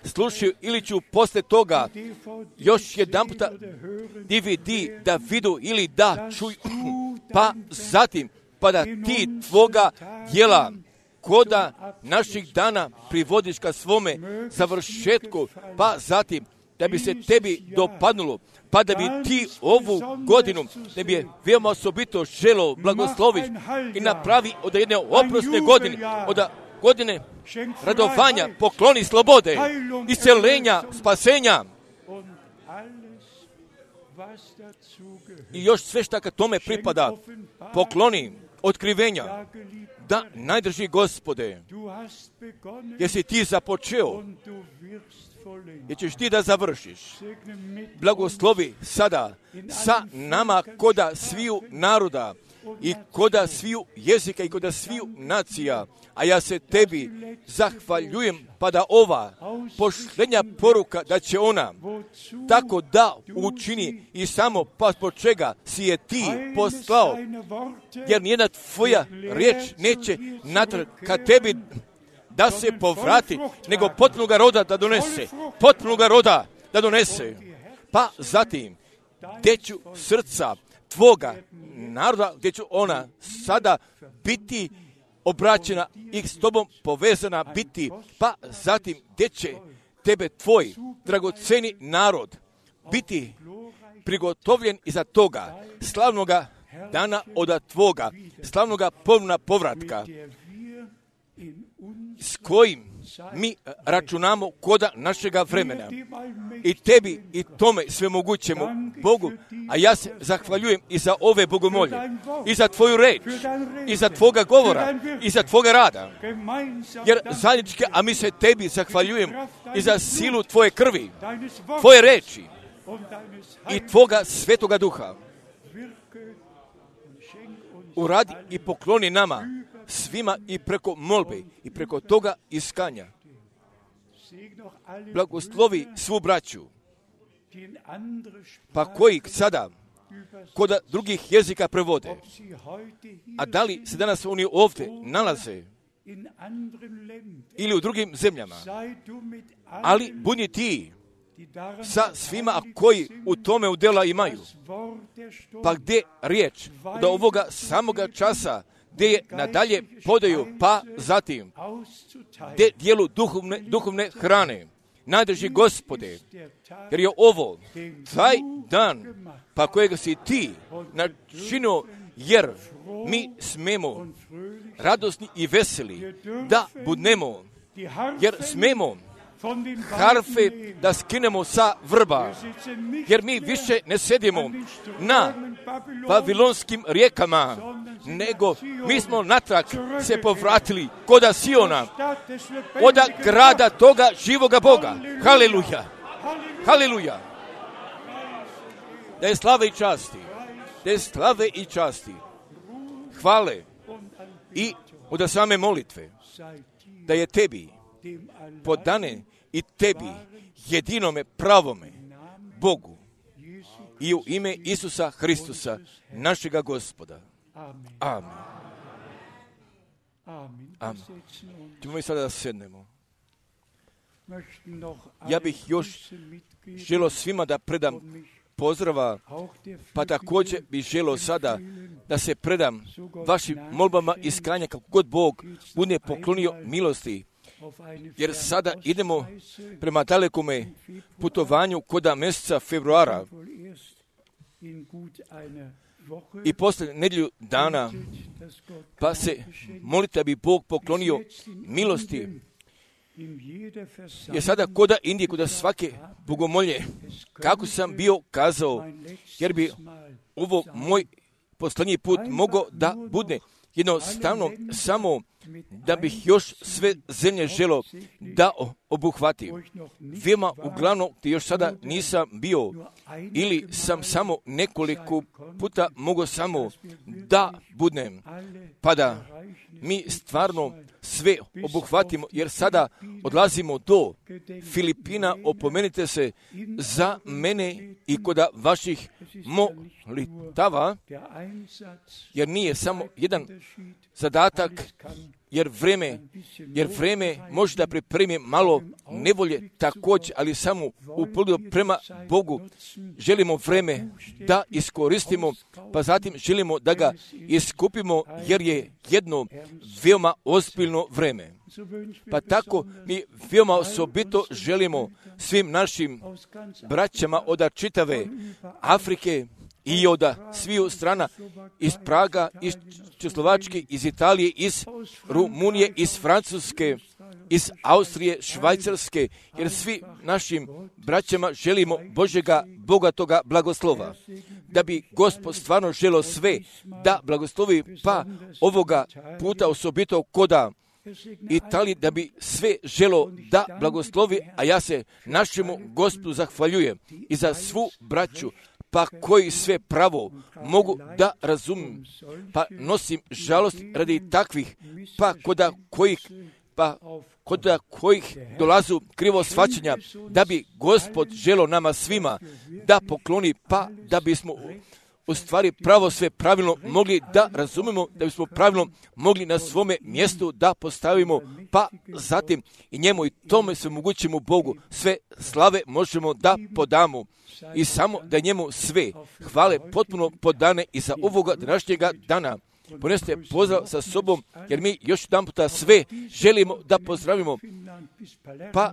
slušaju ili ću posle toga još jedan puta D V D da vidu ili da čuju, pa zatim, pa da ti tvoga djela koda naših dana privodiš ka svome završetku, pa zatim da bi se tebi dopadnulo, pa da bi ti ovu godinu, da bi je veoma osobito želo blagosloviš i napravi od jedne oprosne godine, od godine radovanja, pokloni slobode, iscelenja, spasenja i još sve šta kad tome pripada, pokloni otkrivenja. Da, najdrži Gospode, jer si ti započeo, jer ćeš ti da završiš. Blagoslovi sada sa nama koda sviju naroda i koda sviju jezika i koda sviju nacija, a ja se tebi zahvaljujem pa da ova pošlenja poruka da će ona tako da učini i samo pa zbog čega si je ti poslao, jer nijedna tvoja riječ neće natrag ka tebi da se povrati, nego potpunoga roda da donese, potpunoga roda da donese. Pa zatim, gdje ću srca tvoga naroda, gdje ću ona sada biti obraćena i s tobom povezana biti, pa zatim gdje će tebe tvoj dragoceni narod biti prigotovljen iza toga slavnoga dana od tvoga, slavnoga ponovna povratka, s kojim mi računamo koda našega vremena. I tebi i tome svemogućemu Bogu, a ja se zahvaljujem i za ove bogomolje, i za tvoju reč, i za tvoga govora, i za tvoga rada. Jer zajednički, a mi se tebi zahvaljujem i za silu tvoje krvi, tvoje reči i tvoga svetoga duha. Uradi i pokloni nama svima i preko molbe i preko toga iskanja. Blagoslovi svu braću, pa koji sada kod drugih jezika prevode. A da li se danas oni ovdje nalaze ili u drugim zemljama, ali budi ti sa svima koji u tome udjela imaju. Pa gdje riječ do ovoga samoga časa, gdje je nadalje podaju, pa zatim gdje dijelu duhovne, duhovne hrane. Najdrži Gospode, jer je ovo taj dan, pa kojega si ti načinio, jer mi smemo radosni i veseli da budnemo, jer smemo harfe da skinemo sa vrba, jer mi više ne sedimo na babilonskim rijekama, nego mi smo natrag se povratili koda Siona, od grada toga živoga Boga. Haleluja! Haleluja! Da je slave i časti, da je slave i časti, hvale i od same molitve, da je tebi podane i tebi, jedinome pravome Bogu, i u ime Isusa Hristusa, našega Gospoda. Amen. Amen. Ćemo mi sada da sednemo. Ja bih još želio svima da predam pozdrava, pa također bih želio sada da se predam vašim molbama iskanja kako god Bog bude poklonio milosti. Jer sada idemo prema dalekome putovanju koda mjeseca februara i poslije nedjelju dana, pa se molite da bi Bog poklonio milosti. Jer sada koda Indije, koda svake bogomolje, kako sam bio kazao, jer bi ovo moj posljednji put mogao da bude jednostavno samo da bih još sve zemlje želo da obuhvatim. Veoma uglavnom gdje još sada nisam bio ili sam samo nekoliko puta mogao samo da budem, pa da mi stvarno sve obuhvatimo, jer sada odlazimo do Filipina. Opomenite se za mene i kod vaših molitava, jer nije samo jedan zadatak, jer vreme, jer vreme može da pripremi malo nevolje također, ali samo u pogledu prema Bogu želimo vreme da iskoristimo, pa zatim želimo da ga iskupimo, jer je jedno veoma ozbiljno vreme. Pa tako mi veoma osobito želimo svim našim braćama od čitave Afrike i od sviju strana, iz Praga, iz Češlovačke, iz Italije, iz Rumunije, iz Francuske, iz Austrije, Švajcarske, jer svi našim braćama želimo Božjega bogatoga blagoslova. Da bi Gospod stvarno želio sve da blagoslovi, pa ovoga puta osobito koda Italiji, da bi sve želo da blagoslovi, a ja se našemu Gospodu zahvaljujem i za svu braću, pa koji sve pravo mogu da razumim, pa nosim žalost radi takvih, pa koda kojih, pa koda kojih dolazu krivo shvaćanja, da bi Gospod želo nama svima da pokloni, pa da bismo u stvari pravo sve pravilno mogli da razumemo, da bismo pravilno mogli na svome mjestu da postavimo, pa zatim i njemu i tome se omogućimo Bogu sve slave možemo da podamo i samo da njemu sve hvale potpuno podane i za ovoga današnjega dana. Ponesite pozdrav sa sobom, jer mi još jedan puta sve želimo da pozdravimo, pa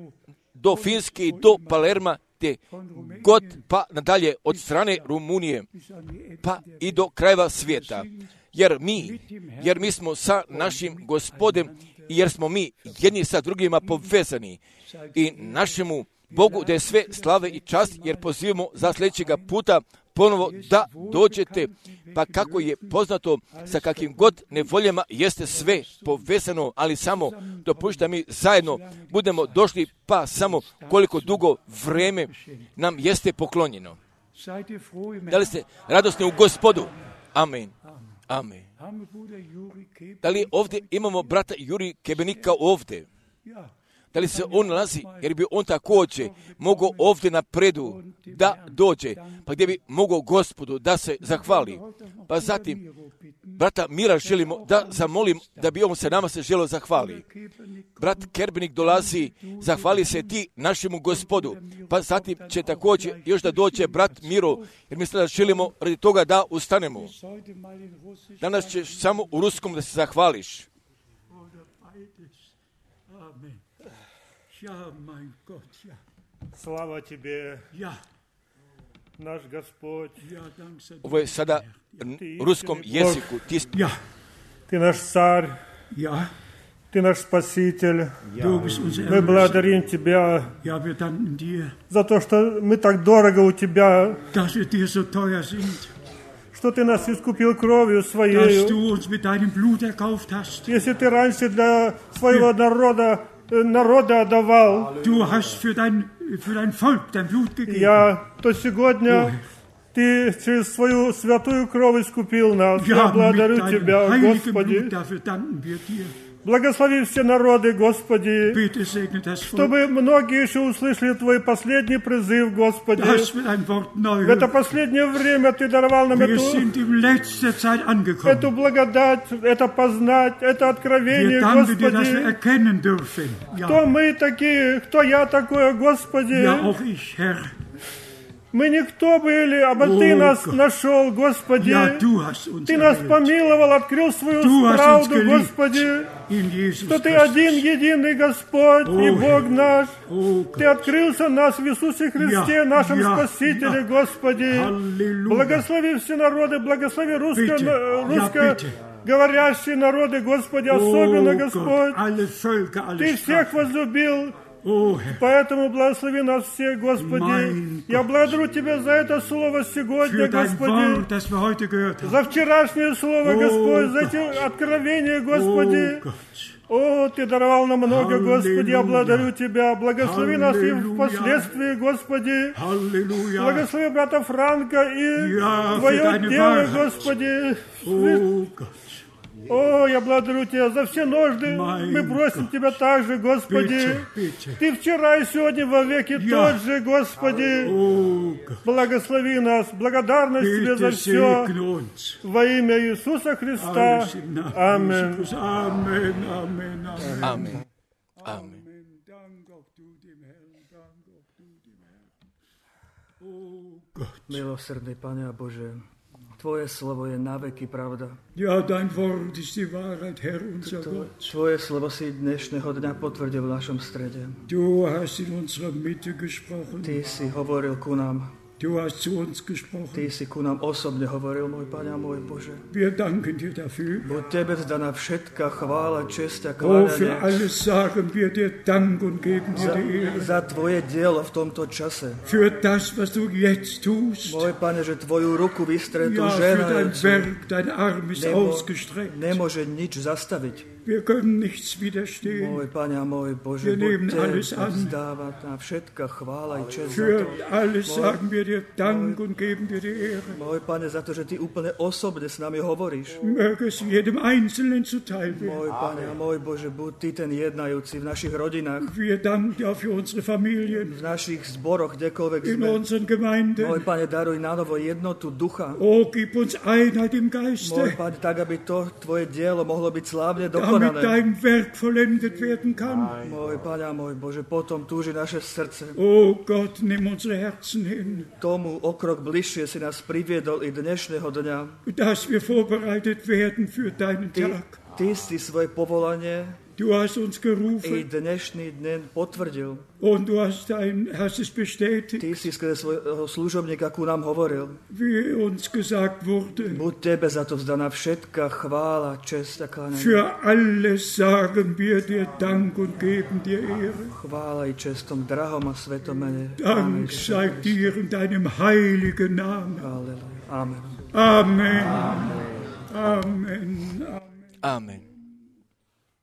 do Finske i do Palerma, te god pa nadalje od strane Rumunije, pa i do krajeva svijeta. Jer mi, jer mi smo sa našim Gospodem i jer smo mi jedni sa drugima povezani i našemu Bogu da je sve slave i čast, jer pozivamo za sljedećega puta ponovo da dođete, pa kako je poznato sa kakvim god nevoljama jeste sve povezano, ali samo dopušta mi zajedno budemo došli, pa samo koliko dugo vreme nam jeste poklonjeno. Da li ste radosni u Gospodu? Amen. Amen. Da li ovdje imamo brata Juri Kebenika ovdje? Da li se on nalazi, jer bi on također mogao ovdje na predu da dođe, pa gdje bi mogao Gospodu da se zahvali. Pa zatim, brata Mira želimo da zamolim da bi on se nama se želio zahvali. Brat Kerbenik dolazi, zahvali se ti našemu Gospodu. Pa zatim će također još da dođe brat Miro, jer mislim da želimo radi toga da ustanemo. Danas ćeš samo u ruskom da se zahvališ. Ja, mein Gott, ja. Slava Tebe, Ja, naš Gospod. ja, dank sei Ovo je sada u ruskom jeziku. Ti, Ja, Ты наш Царь, ja, Ты наш Спаситель. du bist unser Мы Erlöser. благодарим Тебя Ja, wir danken dir, за то, что мы так дорого у Тебя, dass wir dir so teuer sind, что Ты нас искупил кровью dass Своею. du uns mit deinem Blut erkauft hast. Если Ты раньше для своего народа, э, народа отдавал, Du hast für dein, für dein Volk dein Blut gegeben. я, то сегодня Ты через свою святую кровь искупил нас. Я Ja, mit благодарю deinem Тебя, heiligen Господи. Blut, dafür danken wir dir. Благослови все народы, Господи, Bitte segne das Volk, чтобы многие еще услышали Твой последний призыв, Господи. dass wir dein Wort neu В это hören. последнее время Ты даровал нам Wir эту, sind in letzter Zeit эту angekommen. благодать, это познать, это Wir откровение, danken dir, dass wir Господи. erkennen dürfen. Кто Ja, мы такие, кто я такое, Господи. ja, auch ich, Herr. Мы никто были, а Ты О, нас Гott. нашел, Господи. Ja, du hast uns Ты нас erwählt. помиловал, открыл свою Du hast uns правду, geliebt. Господи. In Jesus Что Ты Christus. один, единый Господь и О, Бог наш. Oh Ты Gott. открылся нас в Иисусе Христе, Я, нашем я, Спасителе, я. Господи. Аллилуйя. Благослови все народы, благослови русско, Bitte, ja, русскоговорящие народы, Господи, особенно, Oh Gott, Господь. alle Völker, alle Ты всех Sprachen. возлюбил, Oh Herr, поэтому благослови нас всех, Господи. Mein Я Gott. благодарю Тебя за это слово сегодня, für dein Господи. Wort, das wir heute gehört haben. За вчерашнее слово, О, Господь, за Гott. эти откровения, Oh Господи. Gott. О, Ты даровал нам много, Господи, я Аллилуйя. благодарю Тебя. Благослови нас и Аллилуйя. впоследствии, Господи. Halleluja. Благослови брата Франка и Ja, für Твое deine дело, Wahrheit. Господи. Oh Gott. О, я благодарю Тебя за все нужды. Mein Мы просим Gott. Тебя также, Господи. Bitte, bitte. Ты вчера и сегодня во веки Ja. тот же, Господи. Oh Gott. Благослови нас. Благодарность Тебе за Bitte все. segne uns. Во имя Иисуса Христа. Alles im Namen Amen. Jesus. Amen, Amen, Amen. amen. Amen. Dank auch du dem Herrn, Dank auch du dem Herrn. Oh Gott. Milosrdný Pane a Bože, Tvoje slovo je naveky pravda. Ja, dein Wort ist die Wahrheit, Herr unser To- Gott. Tvoje slovo si dnešného dňa potvrdil v našom strede. Du hast in unserer Mitte gesprochen. Ty si hovoril ku nám. Du hast zu uns Ty gesprochen. si ku nám osobne hovoril, môj Pane a môj Bože. Wir danken dir dafür. Buď Tebe vzdaná všetká chvála, česť a Oh, für kláňanie alles sagen wir dir Dank und geben dir za, die Ehre. za Tvoje dielo v tomto čase. Für das, was du jetzt tust. Môj Pane, že Tvoju ruku vystretú Ja, für dein ženajúcu Werk, dein Arm ist nemo, ausgestreckt. nemôže nič zastaviť. Wir können nichts widerstehen. Môj Pane a môj Bože, Wir nehmen buď alles Tebe an. vzdáva na všetká chvála i česť za Für to. alles sagen wir dir Dank und geben dir die Ehre. Môj Pane, za to, že Ty úplne osobne s nami hovoríš. Möge es jedem Einzelnen zuteil werden. Môj Pane a môj Bože, buď Ty ten jednajúci v našich rodinách, Wir danken dir auch für unsere Familien, v našich zboroch, kdekoľvek in sme. unseren Gemeinden. Môj Pane, daruj na novo jednotu ducha. Oh, gib uns Einheit im Môj Geiste, Pane, tak, aby to Tvoje dielo mohlo byť slávne damit dokonané. dein Werk vollendet werden kann. Môj Pane a môj Bože, potom túži naše srdce. Oh Gott, nimm unsere Herzen hin, Tomu o krok bližšie si nás priviedol i dnešného dňa. dass wir vorbereitet werden für deinen Ty, Tag. ty si svoje povolanie Du hast uns i gerufen dnešný deň potvrdil. und du hast, ein, hast es bestätigt, Ty si skrze svojho služobníka ku nám hovoril. wie uns gesagt wurde. Buď Tebe za to vzdaná všetká chvála, česť a kláňanie. Für alles sagen wir dir Dank und geben dir Ehre. Chvála i česť tom drahom a svetom mene. Amen. Dank sei dir in deinem heiligen Namen. Halleluja. Amen. Amen. Amen. Amen. Amen.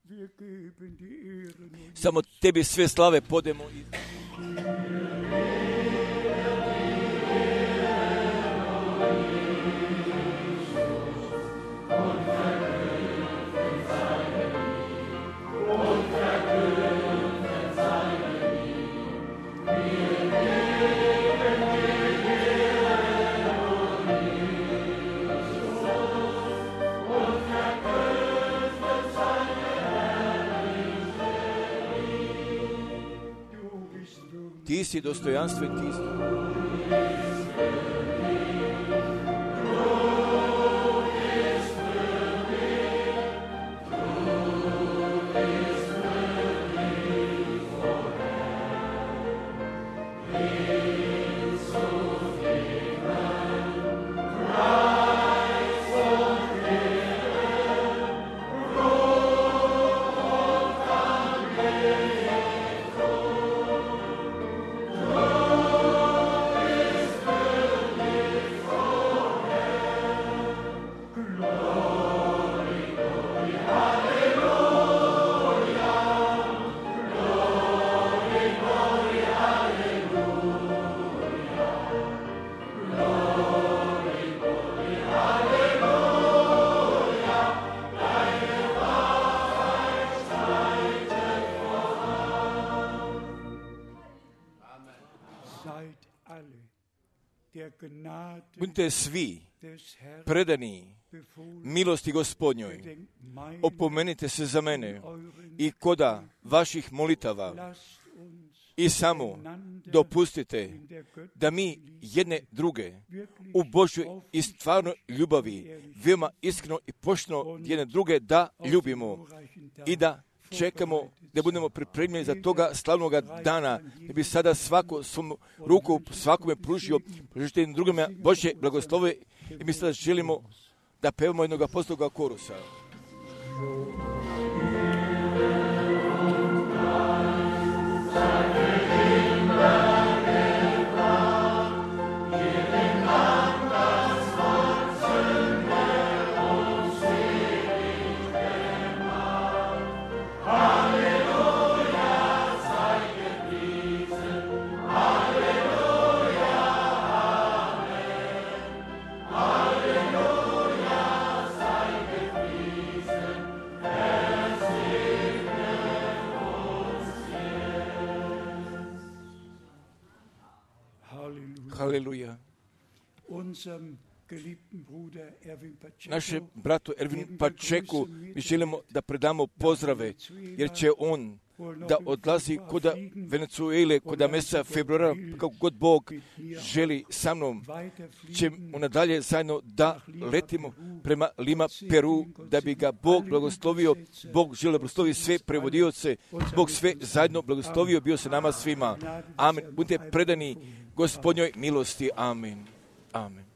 Wir geben die Ehre nun. Samo Tebi sve slave podemo. i- Amen. ti si dostojanstven, ti si. Budite svi predani milosti Gospodnjoj. Opomenite se za mene i koda vaših molitava i samo dopustite da mi jedne druge u Božoj i stvarnoj ljubavi veoma iskreno i pošteno jedne druge da ljubimo i da čekamo da budemo pripremljeni za toga slavnog dana, da bi sada svako svom ruku svakome pružio, pružite jednim drugima Božje blagoslove i mi sada želimo da pevamo jednog apostolskog korusa. Haleluja. Našem bratu Ervin Pačeku mi želimo da predamo pozdrave, jer će on da odlazi koda Venezuele, koda mjeseca februara, kako god Bog želi sa mnom, ćemo nadalje zajedno da letimo prema Lima, Peru, da bi ga Bog blagoslovio. Bog želi da blagoslovi sve prevodioce, Bog sve zajedno blagoslovio, bio se nama svima. Amen. Budite predani Gospodnjoj milosti. Amen. Amen.